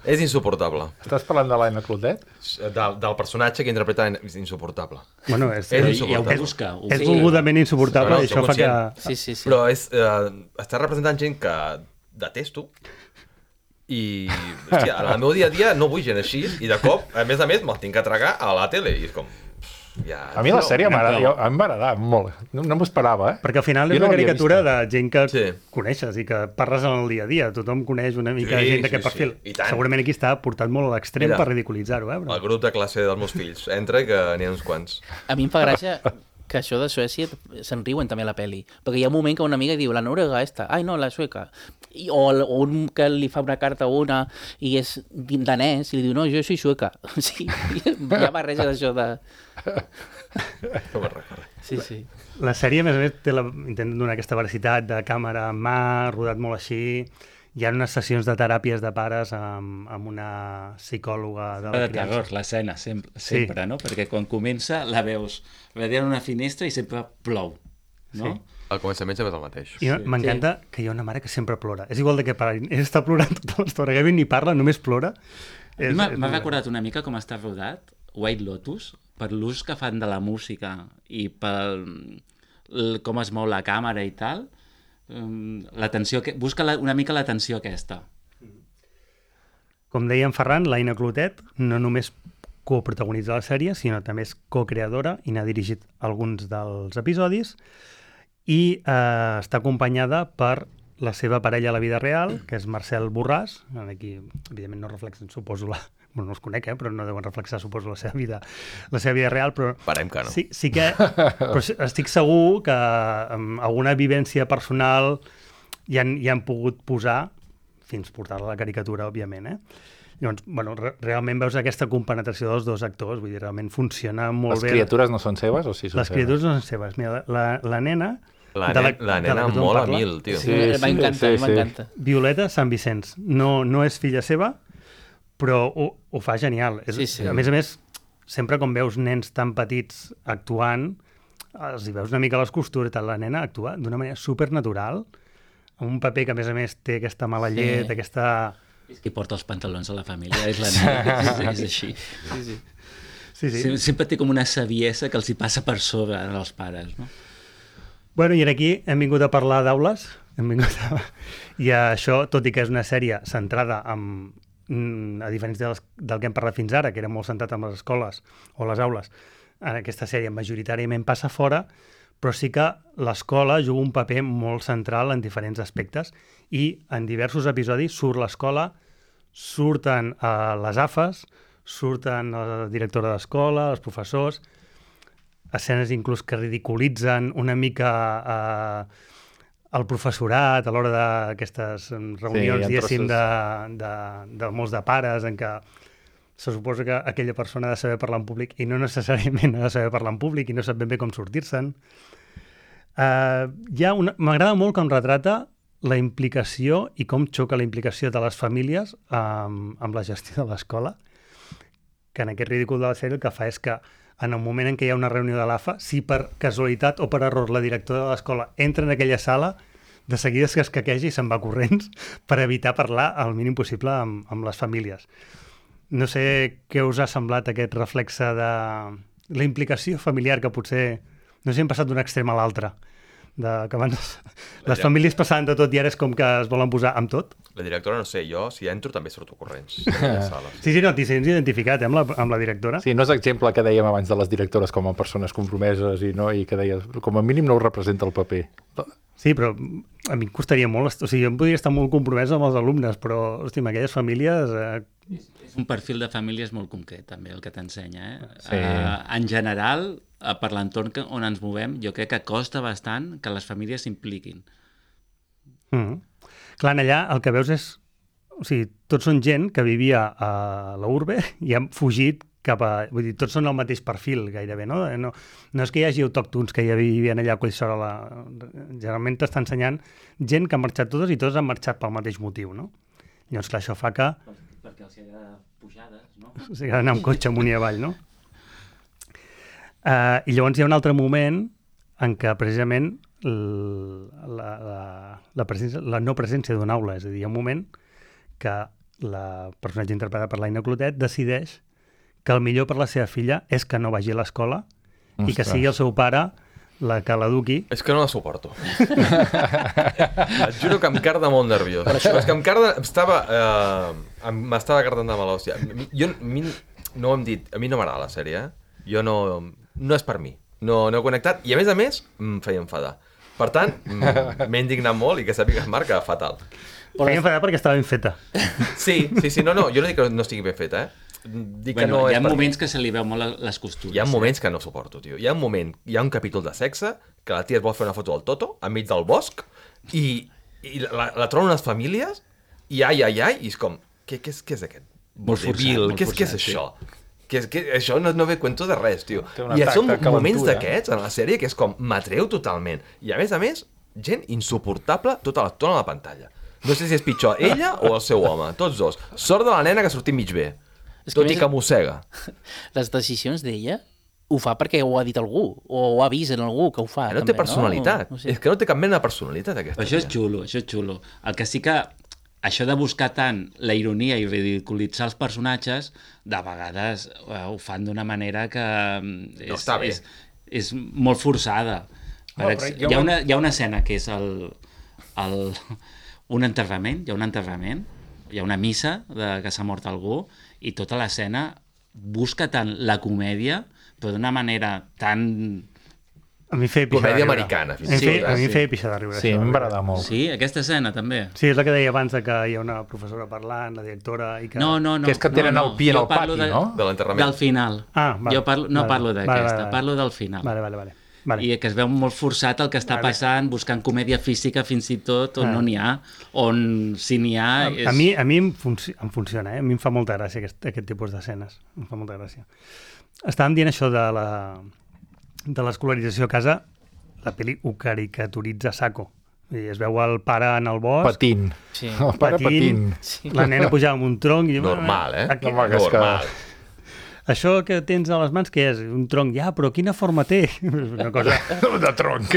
És insuportable. Estàs parlant de l'Anna Clotet? Del personatge que interpreta és insuportable. Bueno, és insuportable. És volgudament insuportable i això fa que... Sí. Però està representant gent que detesto I, hòstia, en el meu dia a dia no vull gent així, i de cop, a més, me'l tinc que tragar a la tele, i és com... Ja, A mi la sèrie em va agradar molt. No m'ho esperava, Perquè al final és Jo no una l'havia caricatura de vista. gent que Sí. coneixes i que parles en el dia a dia. Tothom coneix una mica Sí, gent d'aquest sí, perfil. sí. I tant. Segurament aquí està portat molt a l'extrem Mira, per ridiculitzar-ho, El però... grup de classe dels meus fills. Entra i que n'hi ha uns quants. A mi em fa gràcia que això de Suècia se'n riuen també a la peli. Perquè hi ha un moment que una amiga diu, la noruega esta, ai no, la sueca. O un que li fa una carta a una i és danès i li diu, no, jo soy sueca. Sí, hi ha barreja d'això de... No me'n recordo. Sí, sí. La sèrie, a més, intenta donar aquesta veracitat de càmera en mà, rodat molt així. Hi ha unes sessions de teràpies de pares amb una psicòloga de la De criança. terror, l'escena, sempre, no? Perquè quan comença la veus darrere una finestra i sempre plou, no? Sí. Al començament sempre és el mateix. I m'encanta que hi ha una mare que sempre plora. És igual de què para. Ell està plorant tota l'estona. Gavin ni parla, només plora. A mi m'ha recordat una mica com està rodat White Lotus, per l'ús que fan de la música i per com es mou la càmera i tal. Busca una mica la tensió aquesta. Com deia en Ferran, l'Aina Clotet no només coprotagonitza la sèrie, sinó també és co-creadora i n'ha dirigit alguns dels episodis i està acompanyada per la seva parella a la vida real, que és Marcel Borràs. Aquí, evidentment, no reflexen, suposo, bueno, no els conec, però no deuen reflexar, suposo, la seva vida real, però... Parem que no. Sí que... Però estic segur que amb alguna vivència personal hi han pogut posar, fins portar-la a la caricatura, òbviament, Llavors, bueno, realment veus aquesta compenetració dels dos actors, vull dir, realment funciona molt bé. Les criatures no són seves o sí són Les criatures no són seves. Mira, la nena... La nena mola a mil, tio. Sí, m'encanta. Violeta Sant Vicenç. No és filla seva, però ho fa genial. Sí. A més, sempre com veus nens tan petits actuant, els hi veus una mica les costures i tal. La nena actua d'una manera supernatural, amb un paper que, a més, té aquesta mala llet, aquesta... És qui porta els pantalons a la família, és la nena, és així. Sí. Sempre té com una saviesa que els hi passa per sobre als pares, no? Bueno, i aquí hem vingut a parlar d'aules, i això, tot i que és una sèrie centrada a diferència del que hem parlat fins ara, que era molt centrat en les escoles o les aules, en aquesta sèrie majoritàriament passa fora, però sí que l'escola juga un paper molt central en diferents aspectes i en diversos episodis surt l'escola, surten les AFAs, surten la directora d'escola, els professors, escenes inclús que ridiculitzen una mica el professorat a l'hora d'aquestes reunions, diguéssim, de molts de pares, en què se suposa que aquella persona ha de saber parlar en públic i no necessàriament ha de saber parlar en públic i no sap ben bé com sortir-se'n. M'agrada molt com retrata la implicació i com xoca la implicació de les famílies amb la gestió de l'escola, que en aquest ridícul de la sèrie el que fa és que en el moment en què hi ha una reunió de l'AFA, si per casualitat o per error la directora de l'escola entra en aquella sala, de seguida es casqueja i se'n va corrents per evitar parlar el mínim possible amb les famílies. No sé què us ha semblat aquest reflexe de la implicació familiar que potser, no sé si hem passat d'un extrem a l'altre, que abans les famílies passaven de tot i ara és com que es volen posar amb tot. La directora, no sé, jo, si entro també surto corrents. Sí, no, t'hi sents identificat amb la directora. Sí, no és exemple que dèiem abans de les directores com a persones compromeses i que deies, com a mínim no ho representa el paper. Sí, però a mi em costaria molt, o sigui, jo em podria estar molt compromès amb els alumnes, però, hosti, amb aquelles famílies... És un perfil de famílies molt concret, també, el que t'ensenya, Sí. En general, per l'entorn on ens movem, jo crec que costa bastant que les famílies s'impliquin. Clar, allà el que veus és... O sigui, tots són gent que vivia a la urbe i han fugit cap a... Vull dir, tots són el mateix perfil, gairebé, no? No és que hi hagi autòctons que ja vivien allà a Collsola. Generalment t'està ensenyant gent que ha marxat totes i tots han marxat pel mateix motiu, no? Llavors, clar, això fa que... Perquè els hi agrada pujades, no? O sigui, anar amb cotxe amunt i avall, no? I llavors hi ha un altre moment en què precisament la no presència d'una aula, és a dir, hi ha un moment que la personatge interpretada per l'Aina Clotet decideix que el millor per la seva filla és que no vagi a l'escola i que sigui el seu pare la Caladuki. És que no la suporto. Et juro que em carda molt nerviós. Però és que m'estava cardant de mala hòstia. No ho hem dit, a mi no m'agrada la sèrie, no és per mi. No he connectat i a més em feia enfadar. Per tant, m'he indignat molt i que sàpiga que es marca fatal. Feia enfadar perquè estava ben feta. Sí, no, jo no dic que no estigui ben feta, Dic que no hi és ha moments que se li veu molt les costures. Hi ha moments que no suporto, tio. Hi ha un capítol de sexe que la tia es vol fer una foto del Toto enmig del bosc i la troben unes famílies i ai, i és com, què és aquest? Molt vodevil, forçat, què és això? Això no ve cuento de res, tio. I són taca moments calentura. d'aquests en la sèrie que és com, m'atreu totalment. I a més, gent insuportable tota l'estona a la pantalla. No sé si és pitjor ella o el seu home, tots dos. Sort de la nena que ha sortit mig bé. Tot i que mossega. Les decisions d'ella ho fa perquè ho ha dit algú, o ho ha vist en algú que ho fa. No té personalitat. No sé. És que no té cap mena de personalitat, aquesta. Això és xulo. El que sí que això de buscar tant la ironia i ridiculitzar els personatges, de vegades ho fan d'una manera que No està bé. és molt forçada. Hi ha una escena que és un enterrament, hi ha una missa que s'ha mort algú i tota l'escena busca tant la comèdia, però d'una manera tan... A mi feia pixar de Comèdia riure. americana, fins A mi i tot, feia- A mi feia pixar de riure. Sí, això. a mi m'agrada molt. Sí, aquesta escena també. Sí, és la que deia abans de que hi ha una professora parlant, la directora... I que... No. Que és que tenen el pi en Jo el parlo pati, no? De l'enterrament. Del final. Ah, vale. Jo no parlo d'aquesta, Vale. parlo del final. Vale. I que es veu molt forçat el que està passant, buscant comèdia física fins i tot, on no n'hi ha, on si n'hi ha... A mi em funciona, A mi em fa molta gràcia aquest tipus d'escenes. Em fa molta gràcia. Estàvem dient això de l'escolarització a casa, la pel·li ho caricaturitza a saco. I es veu el pare en el bosc, Patint. Sí. El pare patint. la nena pujava amb un tronc... I, Normal, Aquí, Home, que és que- Normal. Això que tens a les mans, què és? Un tronc? Ja, però quina forma té? És una cosa... De tronc.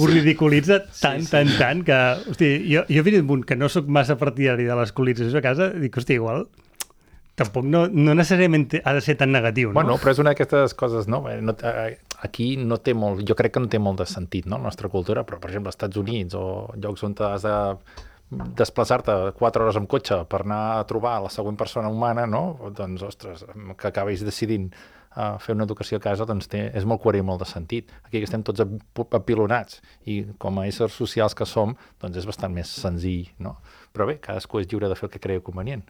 Ho ridiculitza tant que... Hosti, jo he vist un punt que no sóc massa partidari de l'escolarització a casa, dic, hosti, igual... Tampoc no necessàriament ha de ser tan negatiu, no? Bueno, però és una d'aquestes coses, no? Aquí no té molt... Jo crec que no té molt de sentit, no?, la nostra cultura, però, per exemple, als Estats Units o llocs on has de desplaçar-te 4 hores amb cotxe per anar a trobar la següent persona humana, no? Doncs, ostres, que acabis decidint fer una educació a casa, doncs és molt coherent, molt de sentit. Aquí que estem tots apilonats i com a éssers socials que som, doncs és bastant més senzill, no? Però bé, cadascú és lliure de fer el que cregui convenient.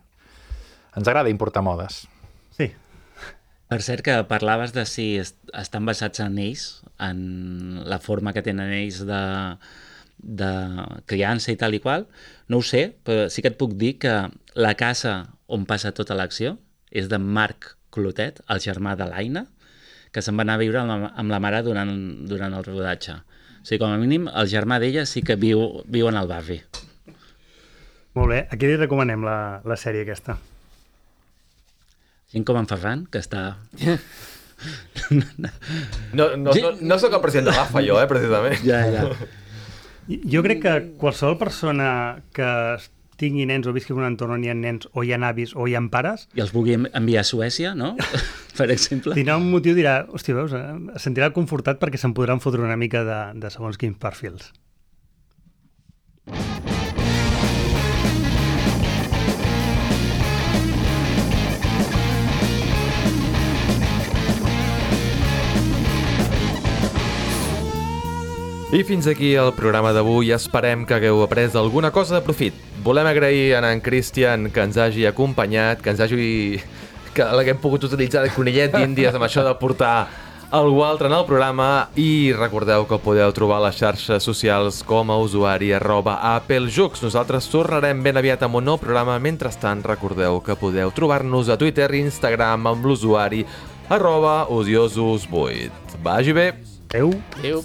Ens agrada importar modes. Sí. Per cert, que parlaves de si estan basats en ells, en la forma que tenen ells de criança i tal i qual. No ho sé, però sí que et puc dir que la casa on passa tota l'acció és de Marc Clotet, el germà de l'Aina, que se'n va anar a viure amb la mare durant el rodatge. O sigui, com a mínim, el germà d'ella sí que viu en el barri. Molt bé. Aquí li recomanem la sèrie aquesta. Gent com en Ferran, que està... No sóc el president de l'AFA, jo, precisament. Ja. Jo crec que qualsevol persona que tingui nens o visqui en un entorn on hi ha nens o hi ha avis o hi ha pares, I els vulgui enviar a Suècia, no? Per exemple. tindrà un motiu, dirà, hòstia, veus, es sentirà confortat perquè se'n podran fotre una mica de segons quins perfils. I fins aquí el programa d'avui. Esperem que hagueu après alguna cosa de profit. Volem agrair a en Cristian que ens hagi acompanyat, que l'haguem pogut utilitzar de conillet d'índies amb això de portar algú altre en el programa, i recordeu que podeu trobar les xarxes socials com a usuari @applejux. Nosaltres tornarem ben aviat amb un nou programa. Mentrestant, recordeu que podeu trobar-nos a Twitter i Instagram amb l'usuari @odiosos8. Vagi bé! Adéu! Adéu.